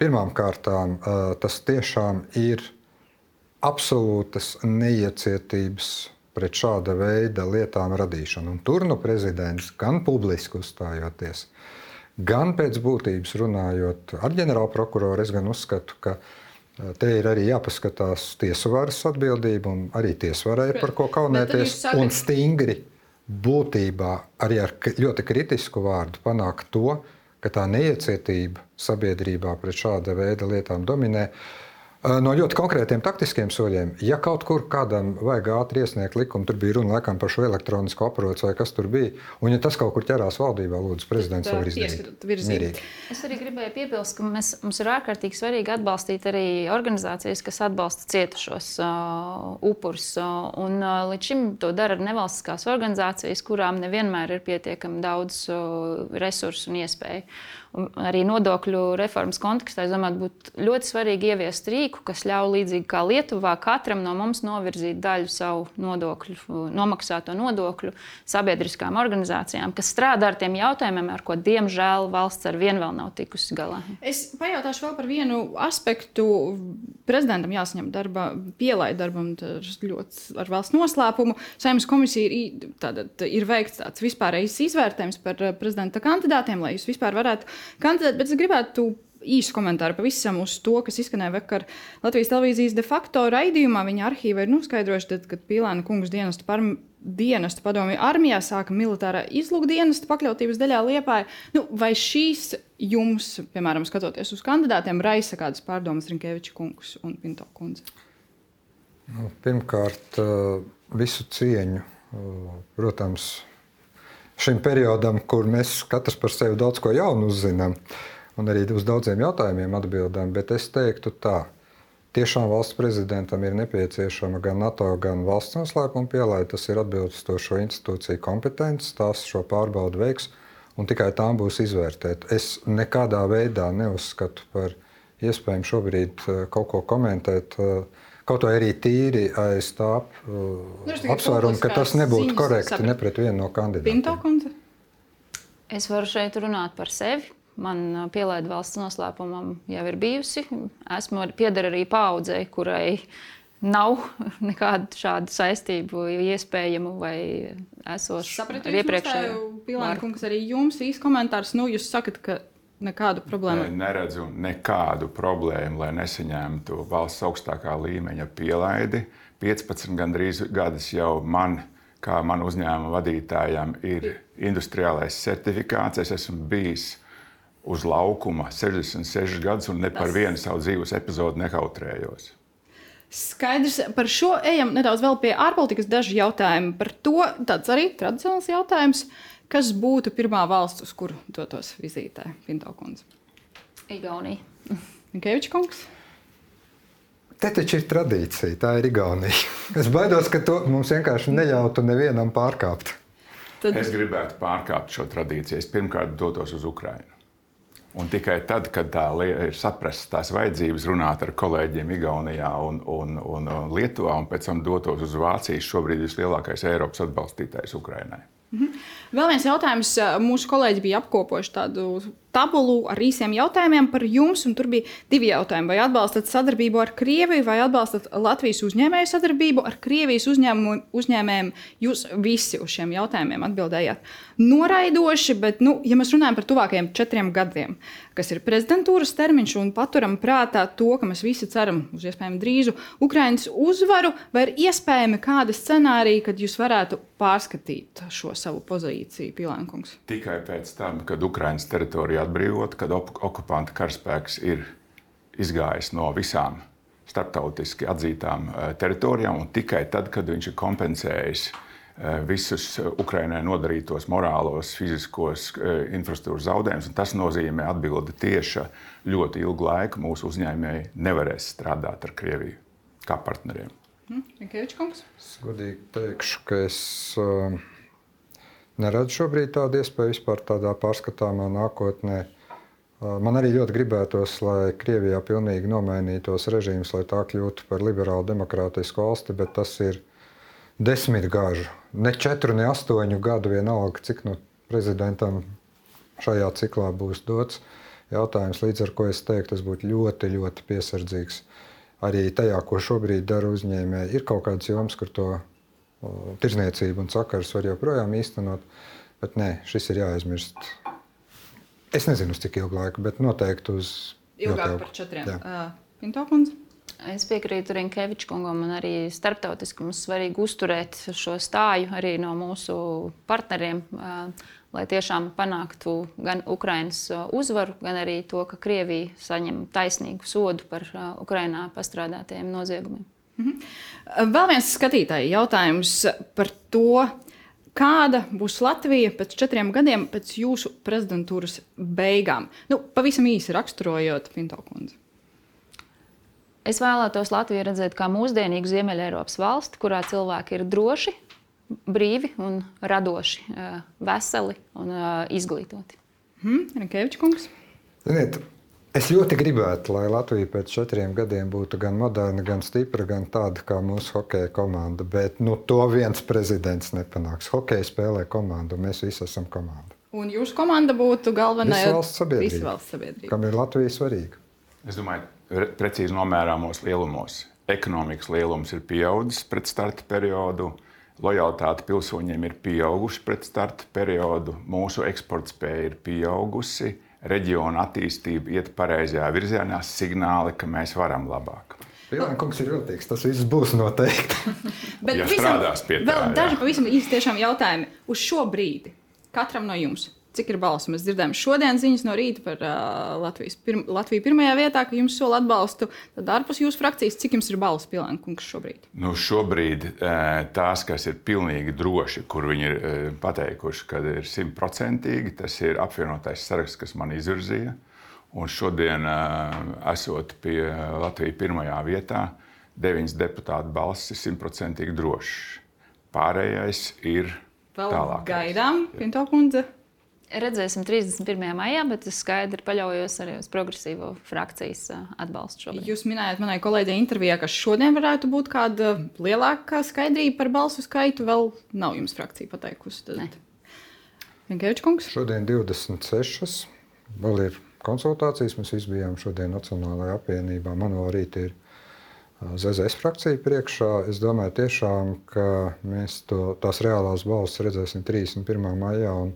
pirmām kārtām tas tiešām ir absolūtas neiecietības pret šāda veida lietām radīšanu. Un tur nu prezidents gan publiski uzstājoties, gan pēc būtības runājot ar ģenerālprokuroru, es gan uzskatu, ka te ir arī jāpaskatās tiesu varas atbildība un arī tiesvarai par ko kaunēties sakat... un stingri būtībā arī ar ļoti kritisku vārdu panākt to, ka tā neiecietība sabiedrībā pret šāda veida lietām dominē. No ļoti konkrētiem taktiskiem soļiem, ja kaut kur kādam vajag ātri iesniegt likumu, tur bija runa laikam par šo elektronisko aproci vai kas tur bija, un ja tas kaut kur ķerās valdībā, lūdzu, prezidents var izdarīt. Es arī gribēju piebilst, ka mēs, mums ir ārkārtīgi svarīgi atbalstīt arī organizācijas, kas atbalsta cietušos uh, upurus, uh, un uh, līdz šim to dara nevalstiskās organizācijas, kurām nevienmēr ir pietiekami daudz uh, resursu un iespēju. Un arī nodokļu reformas kontekstā, es domāju, būtu ļoti svarīgi ieviest rīku, kas ļauj līdzīgi kā Lietuvā katram no mums novirzīt daļu savu nodokļu, nomaksāto nodokļu sabiedriskām organizācijām, kas strādā ar tiem jautājumiem, ar ko, diemžēl, valsts ar vienu vēl nav tikusi galā. Es pajautāšu vēl par vienu aspektu. Prezidentam jāsaņem darba, pielaid darbam ļoti ar valsts noslēpumu. Saeimas komisija ir, tātad, ir veikts tāds vispārējais izvērtējums par prezidenta kandidātiem, lai jūs vispār varētu kandidēt, bet es gribētu īsu komentāru pavisam uz to, kas izskanēja vakar Latvijas televīzijas de facto raidījumā. Viņa arhīva ir noskaidrojuši, tad, kad Pīlēna kungs dienestu, par, dienestu padomju armijā sāka militārā izlūkdienesta pakļautības daļā Liepāja. Nu, vai šīs jums, piemēram, skatoties uz kandidātiem, raisa kādas pārdomas Rinkeviča kungs un Pinto kundze? Nu, pirmkārt, visu cieņu, protams, šim periodam, kur mēs katrs par sevi daudz ko jaunu uzzinām un arī uz daudziem jautājumiem atbildām, bet es teiktu tā, tiešām valsts prezidentam ir nepieciešama gan NATO, gan valsts noslēpuma pielaide, tas ir atbilstošo institūciju kompetences, tās šo pārbaudu veiks un tikai tām būs izvērtēt. Es nekādā veidā neuzskatu par iespējami šobrīd kaut ko komentēt, kaut vai arī tīri aiz tā apsvērumu, ka tas nebūtu korekti ne pret vienu no kandidātiem. Es varu šeit runāt par sevi. Man pielaide valsts noslēpumam jau ir bijusi. Esmu pieder arī paaudzei, kurai nav nekādu šādu saistību iespējamu vai esošu ar iepriekšēju. Pīlēna kungs, arī jums īsts komentārs. Nu, jūs sakat, ka nekādu problēmu? Ne, neredzu nekādu problēmu, lai nesaņemtu valsts augstākā līmeņa pielaidi. piecpadsmit gandrīz gadus jau man, kā man uzņēmuma vadītājam, ir industriālais certifikāts. Es esmu bijis uz laukuma sešdesmit sešus gadus un ne par vienu savu dzīves epizodu nekautrējos. Skaidrs, par šo ejam nedaudz vēl pie ārpolitikas daži jautājumi. Par to tāds arī tradicionāls jautājums. Kas būtu pirmā valsts, uz kuru dotos vizītē, Pinto kundze? Igaunija. Rinkeviča kungs? Te taču ir tradīcija, tā ir Igaunija. Es baidos, ka to mums vienkārši neļautu nevienam pārkāpt. Tad... Es gribētu pārkāpt šo tradīciju. Es pirmkārt dotos uz Ukrainu. Un tikai tad, kad tā ir saprasts tās vajadzības, runāt ar kolēģiem Igaunijā un, un, un, un Lietuvā, un pēc tam dotos uz Vāciju, šobrīd vislielākais Eiropas atbalstītājs Ukrainai. Mhm. Vēl viens jautājums. Mūsu kolēģi bija apkopojuši tādu tabulu ar īsiem jautājumiem par jums, un tur bija divi jautājumi. Vai atbalstat sadarbību ar Krieviju, vai atbalstat Latvijas uzņēmēju sadarbību ar Krievijas uzņēmējiem? Jūs visi uz šiem jautājumiem atbildējāt noraidoši, bet, nu, ja mēs runājam par tuvākajiem četriem gadiem, kas ir prezidentūras termiņš, un paturam prātā to, ka mēs visi ceram uz iespējami drīzu Ukrainas uzvaru, vai ir iespējami kādi scenāriji, kad jūs varētu pārskatīt šo savu pozīciju, Pīlēna kungs? Tikai pēc tam, kad Ukrainas teritorija atbrīvot, kad okupanta karaspēks ir izgājis no visām starptautiski atzītām teritorijām, un tikai tad, kad viņš ir kompensējis visus Ukrainai nodarītos morālos, fiziskos infrastruktūras zaudējumus. Tas nozīmē atbildi tieši ļoti ilgu laiku mūsu uzņēmēji nevarēs strādāt ar Krieviju kā partneriem. Rinkeviča kungs? Es godīgi teikšu, ka es uh, neredzu šobrīd tādu iespēju vispār tādā pārskatāmā nākotnē. Uh, man arī ļoti gribētos, lai Krievijā pilnīgi nomainītos režīms, lai tā kļūtu par liberālu demokrātisku valsti, bet tas ir desmit gāžu, ne četru, ne astoņu gadu vienalga, cik no prezidentam šajā ciklā būs dots jautājums, līdz ar ko es teiktu, es būtu ļoti, ļoti piesardzīgs. Arī tajā, ko šobrīd dara uzņēmēji, ir kaut kāds joms, kur to o, tirzniecību un sakars var joprojām īstenot, bet nē, šis ir jāaizmirst. Es nezinu, uz cik ilgu laiku, bet noteikti uz ilgāk par četriem. Uh, Pinto kundze? Es piekrītu Rinkeviča kungam, un arī starptautiski mums svarīgi uzturēt šo stāju arī no mūsu partneriem, lai tiešām panāktu gan Ukrainas uzvaru, gan arī to, ka Krievija saņem taisnīgu sodu par Ukrainā pastrādātajiem noziegumiem. Mhm. Vēl viens skatītāju jautājums par to, kāda būs Latvija pēc četriem gadiem pēc jūsu prezidentūras beigām? Nu, pavisam īsi raksturojot, Pinto kundze. Es vēlētos Latviju redzēt kā mūsdienīgu Ziemeļeiropas valsti, kurā cilvēki ir droši, brīvi un radoši, veseli un izglītoti. Hmm, Rinkeviča kungs? Ziniet, es ļoti gribētu, lai Latvija pēc četriem gadiem būtu gan moderna, gan stipra, gan tāda kā mūsu hokeja komanda. Bet nu, to viens prezidents nepanāks. Hokeja spēlē komandu, un mēs visi esam komanda. Un jūsu komanda būtu galvenā valsts sabiedrība, visu valsts sabiedrība. Kam ir Latvija svarīga. Es domāju, precīzi nomērāmos lielumos. Ekonomikas lielums ir pieaudzis pret starta periodu. Lojalitāte pilsoņiem ir pieauguši pret starta periodu. Mūsu eksporta spēja ir pieaugusi. Reģiona attīstība iet pareizajā virzienā, signāli, ka mēs varam labāk. Pilēna kungs ir viltīgs, tas viss būs noteikti. Bet Ja visam, strādās pie tā, vēl jā. daži pavisam īsti tiešām jautājumi. Uz šo brīdi katram no jums, cik ir balsu? Mēs dzirdējām šodien ziņas no rīta par uh, Latvijas pirm, Latviju pirmajā vietā, ka jums sola atbalstu. Tad ārpus jūsu frakcijas, cik jums ir balsu, Pilēna kungs, šobrīd? Nu, šobrīd tās, kas ir pilnīgi droši, kur viņi ir pateikuši, ka ir simtprocentīgi, tas ir apvienotais saraksts, kas man izvirzīja. Un šodien, esot pie Latvijas pirmajā vietā, deviņas deputātu balss ir simtprocentīgi drošs. Pārējais ir Vēl tālāk. gaidām, Pinto kundze. Redzēsim trīsdesmit pirmajā maijā, bet es skaidri paļaujos arī uz progresīvo frakcijas atbalstu šobrīd. Jūs minējāt manai kolēģei intervijā, ka šodien varētu būt kāda lielāka skaidrība par balsu skaitu. Vēl nav jums frakcija pateikusi. Rinkeviča kungs? Šodien divdesmit sešas. Vēl ir konsultācijas. Mēs visi bijām šodien Nacionālajā apvienībā. Man vēl rīt ir Z Z S frakcija priekšā. Es domāju tiešām, ka mēs to, tās reālās balsis redzēsim trīsdesmit pirmā maijā. Un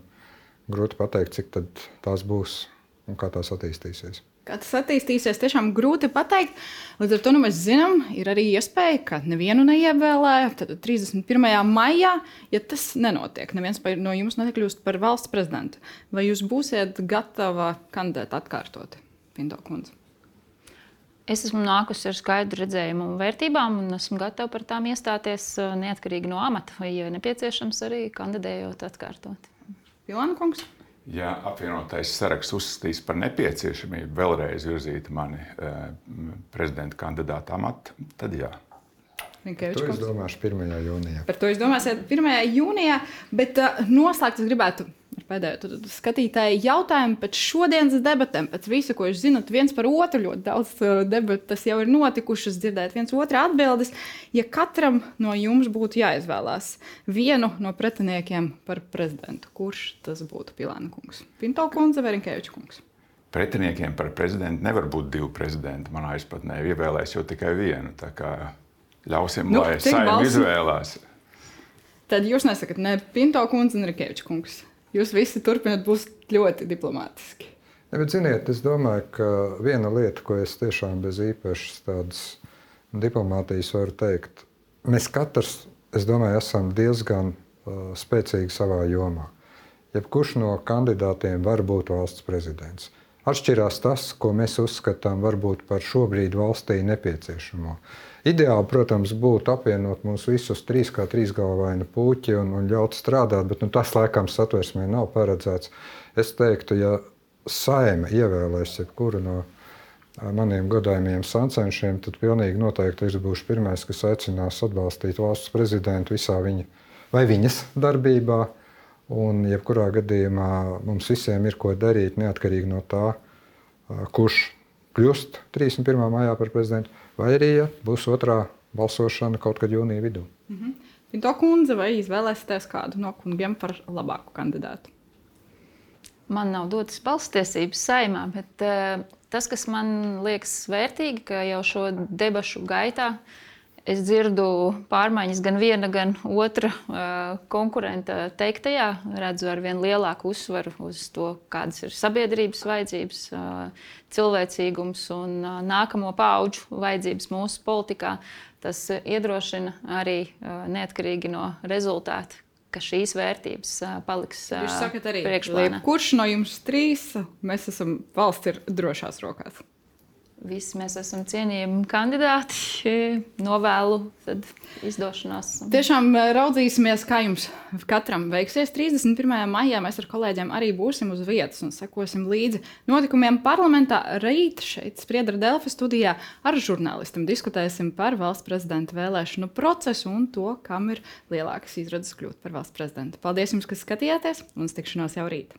grūti pateikt, cik tad tās būs un kā tās attīstīsies. Kā tas attīstīsies, tiešām grūti pateikt. Līdz ar to nu, mēs zinām, ir arī iespēja, ka nevienu neievēlēja. Tad trīsdesmit pirmajā maijā, ja tas nenotiek, neviens no jums nekļūst par valsts prezidentu. Vai jūs būsiet gatava kandidēt atkārtot, Pinto kundze? Es esmu nākusi ar skaidru redzējumu un vērtībām, un esmu gatava par tām iestāties neatkarīgi no amata, vai, ja nepieciešams, arī kandidējot atkārtot. Pilēna kungs? Ja apvienotais saraksts uzskatīs par nepieciešamību vēlreiz virzīt mani eh, prezidenta kandidāta amatu, tad jā. Rinkeviča To es kungs? domāšu pirmajā jūnijā. Par to jūs domāsiet pirmajā jūnijā, bet uh, noslēgt es gribētu ar pēdējo tad, tad skatītāju jautājumu pēc šodienas debatēm, pēc visu, ko jūs zinat viens par otru, ļoti daudz uh, debatas jau ir notikušas, dzirdēt viens otra atbildes. Ja katram no jums būtu jāizvēlās vienu no pretiniekiem par prezidentu, kurš tas būtu, Pilēna kungs? Pinto kundze vai Rinkeviča kungs? Pretiniekiem par prezidentu nevar būt divi prezidenti. Manā izpratnē ievēlēs jau tikai vienu. Tā kā ļausim, Nu, lai cik Saeima balsu? izvēlās. Tad jūs nesakat ne Pinto kundze, ne Rinkeviča kungs. Jūs visi turpināt būt ļoti diplomātiski. Ne, bet, ziniet, es domāju, ka viena lieta, ko es tiešām bez īpašas tādas diplomātijas varu teikt, mēs katrs, es domāju, esam diezgan uh, spēcīgi savā jomā. Jebkurš no kandidātiem var būt valsts prezidents. Atšķirās tas, ko mēs uzskatām varbūt par šobrīd valstī nepieciešamo. Ideāli, protams, būtu apvienot mūs visus trīs kā trīsgalvaini puķi un, un ļaut strādāt, bet nu, tas laikam satversmē nav paredzēts. Es teiktu, ja Saeima ievēlēs jebkuru no maniem godājumiem sancenšiem, tad pilnīgi noteikti es būšu pirmais, kas aicinās atbalstīt valsts prezidentu visā viņa vai viņas darbībā. Un jebkurā gadījumā mums visiem ir ko darīt, neatkarīgi no tā, kurš kļūst trīsdesmit pirmā maijā par prezidentu, vai arī ja būs otrā balsošana kaut kad jūnija vidū. Mhm. Pinto kundze, vai izvēlēsieties kādu no kungiem par labāku kandidātu? Man nav dotas balsstiesības Saeimā, bet uh, tas, kas man liekas vērtīgi, ka jau šo debašu gaitā es dzirdu pārmaiņas gan viena, gan otra uh, konkurenta teiktajā. Redzu ar vien lielāku uzsvaru uz to, kādas ir sabiedrības vajadzības, uh, cilvēcīgums un uh, nākamo paudžu vajadzības mūsu politikā. Tas uh, iedrošina arī uh, neatkarīgi no rezultāta, ka šīs vērtības paliks Jūs sakat arī, priekšplānā. Kurš no jums trīs mēs esam valsts ir drošās rokās? Visi mēs esam cienījami kandidāti. Novēlu izdošanās. Tiešām raudzīsimies, kā jums katram veiksies. trīsdesmit pirmajā maijā mēs ar kolēģiem arī būsim uz vietas un sekosim līdzi notikumiem parlamentā. Rīt šeit Spriedra Delfi studijā ar žurnālistiem diskutēsim par valsts prezidenta vēlēšanu procesu un to, kam ir lielākas izredzes kļūt par valsts prezidentu. Paldies jums, kas skatījāties, un uz tikšanos jau rīt!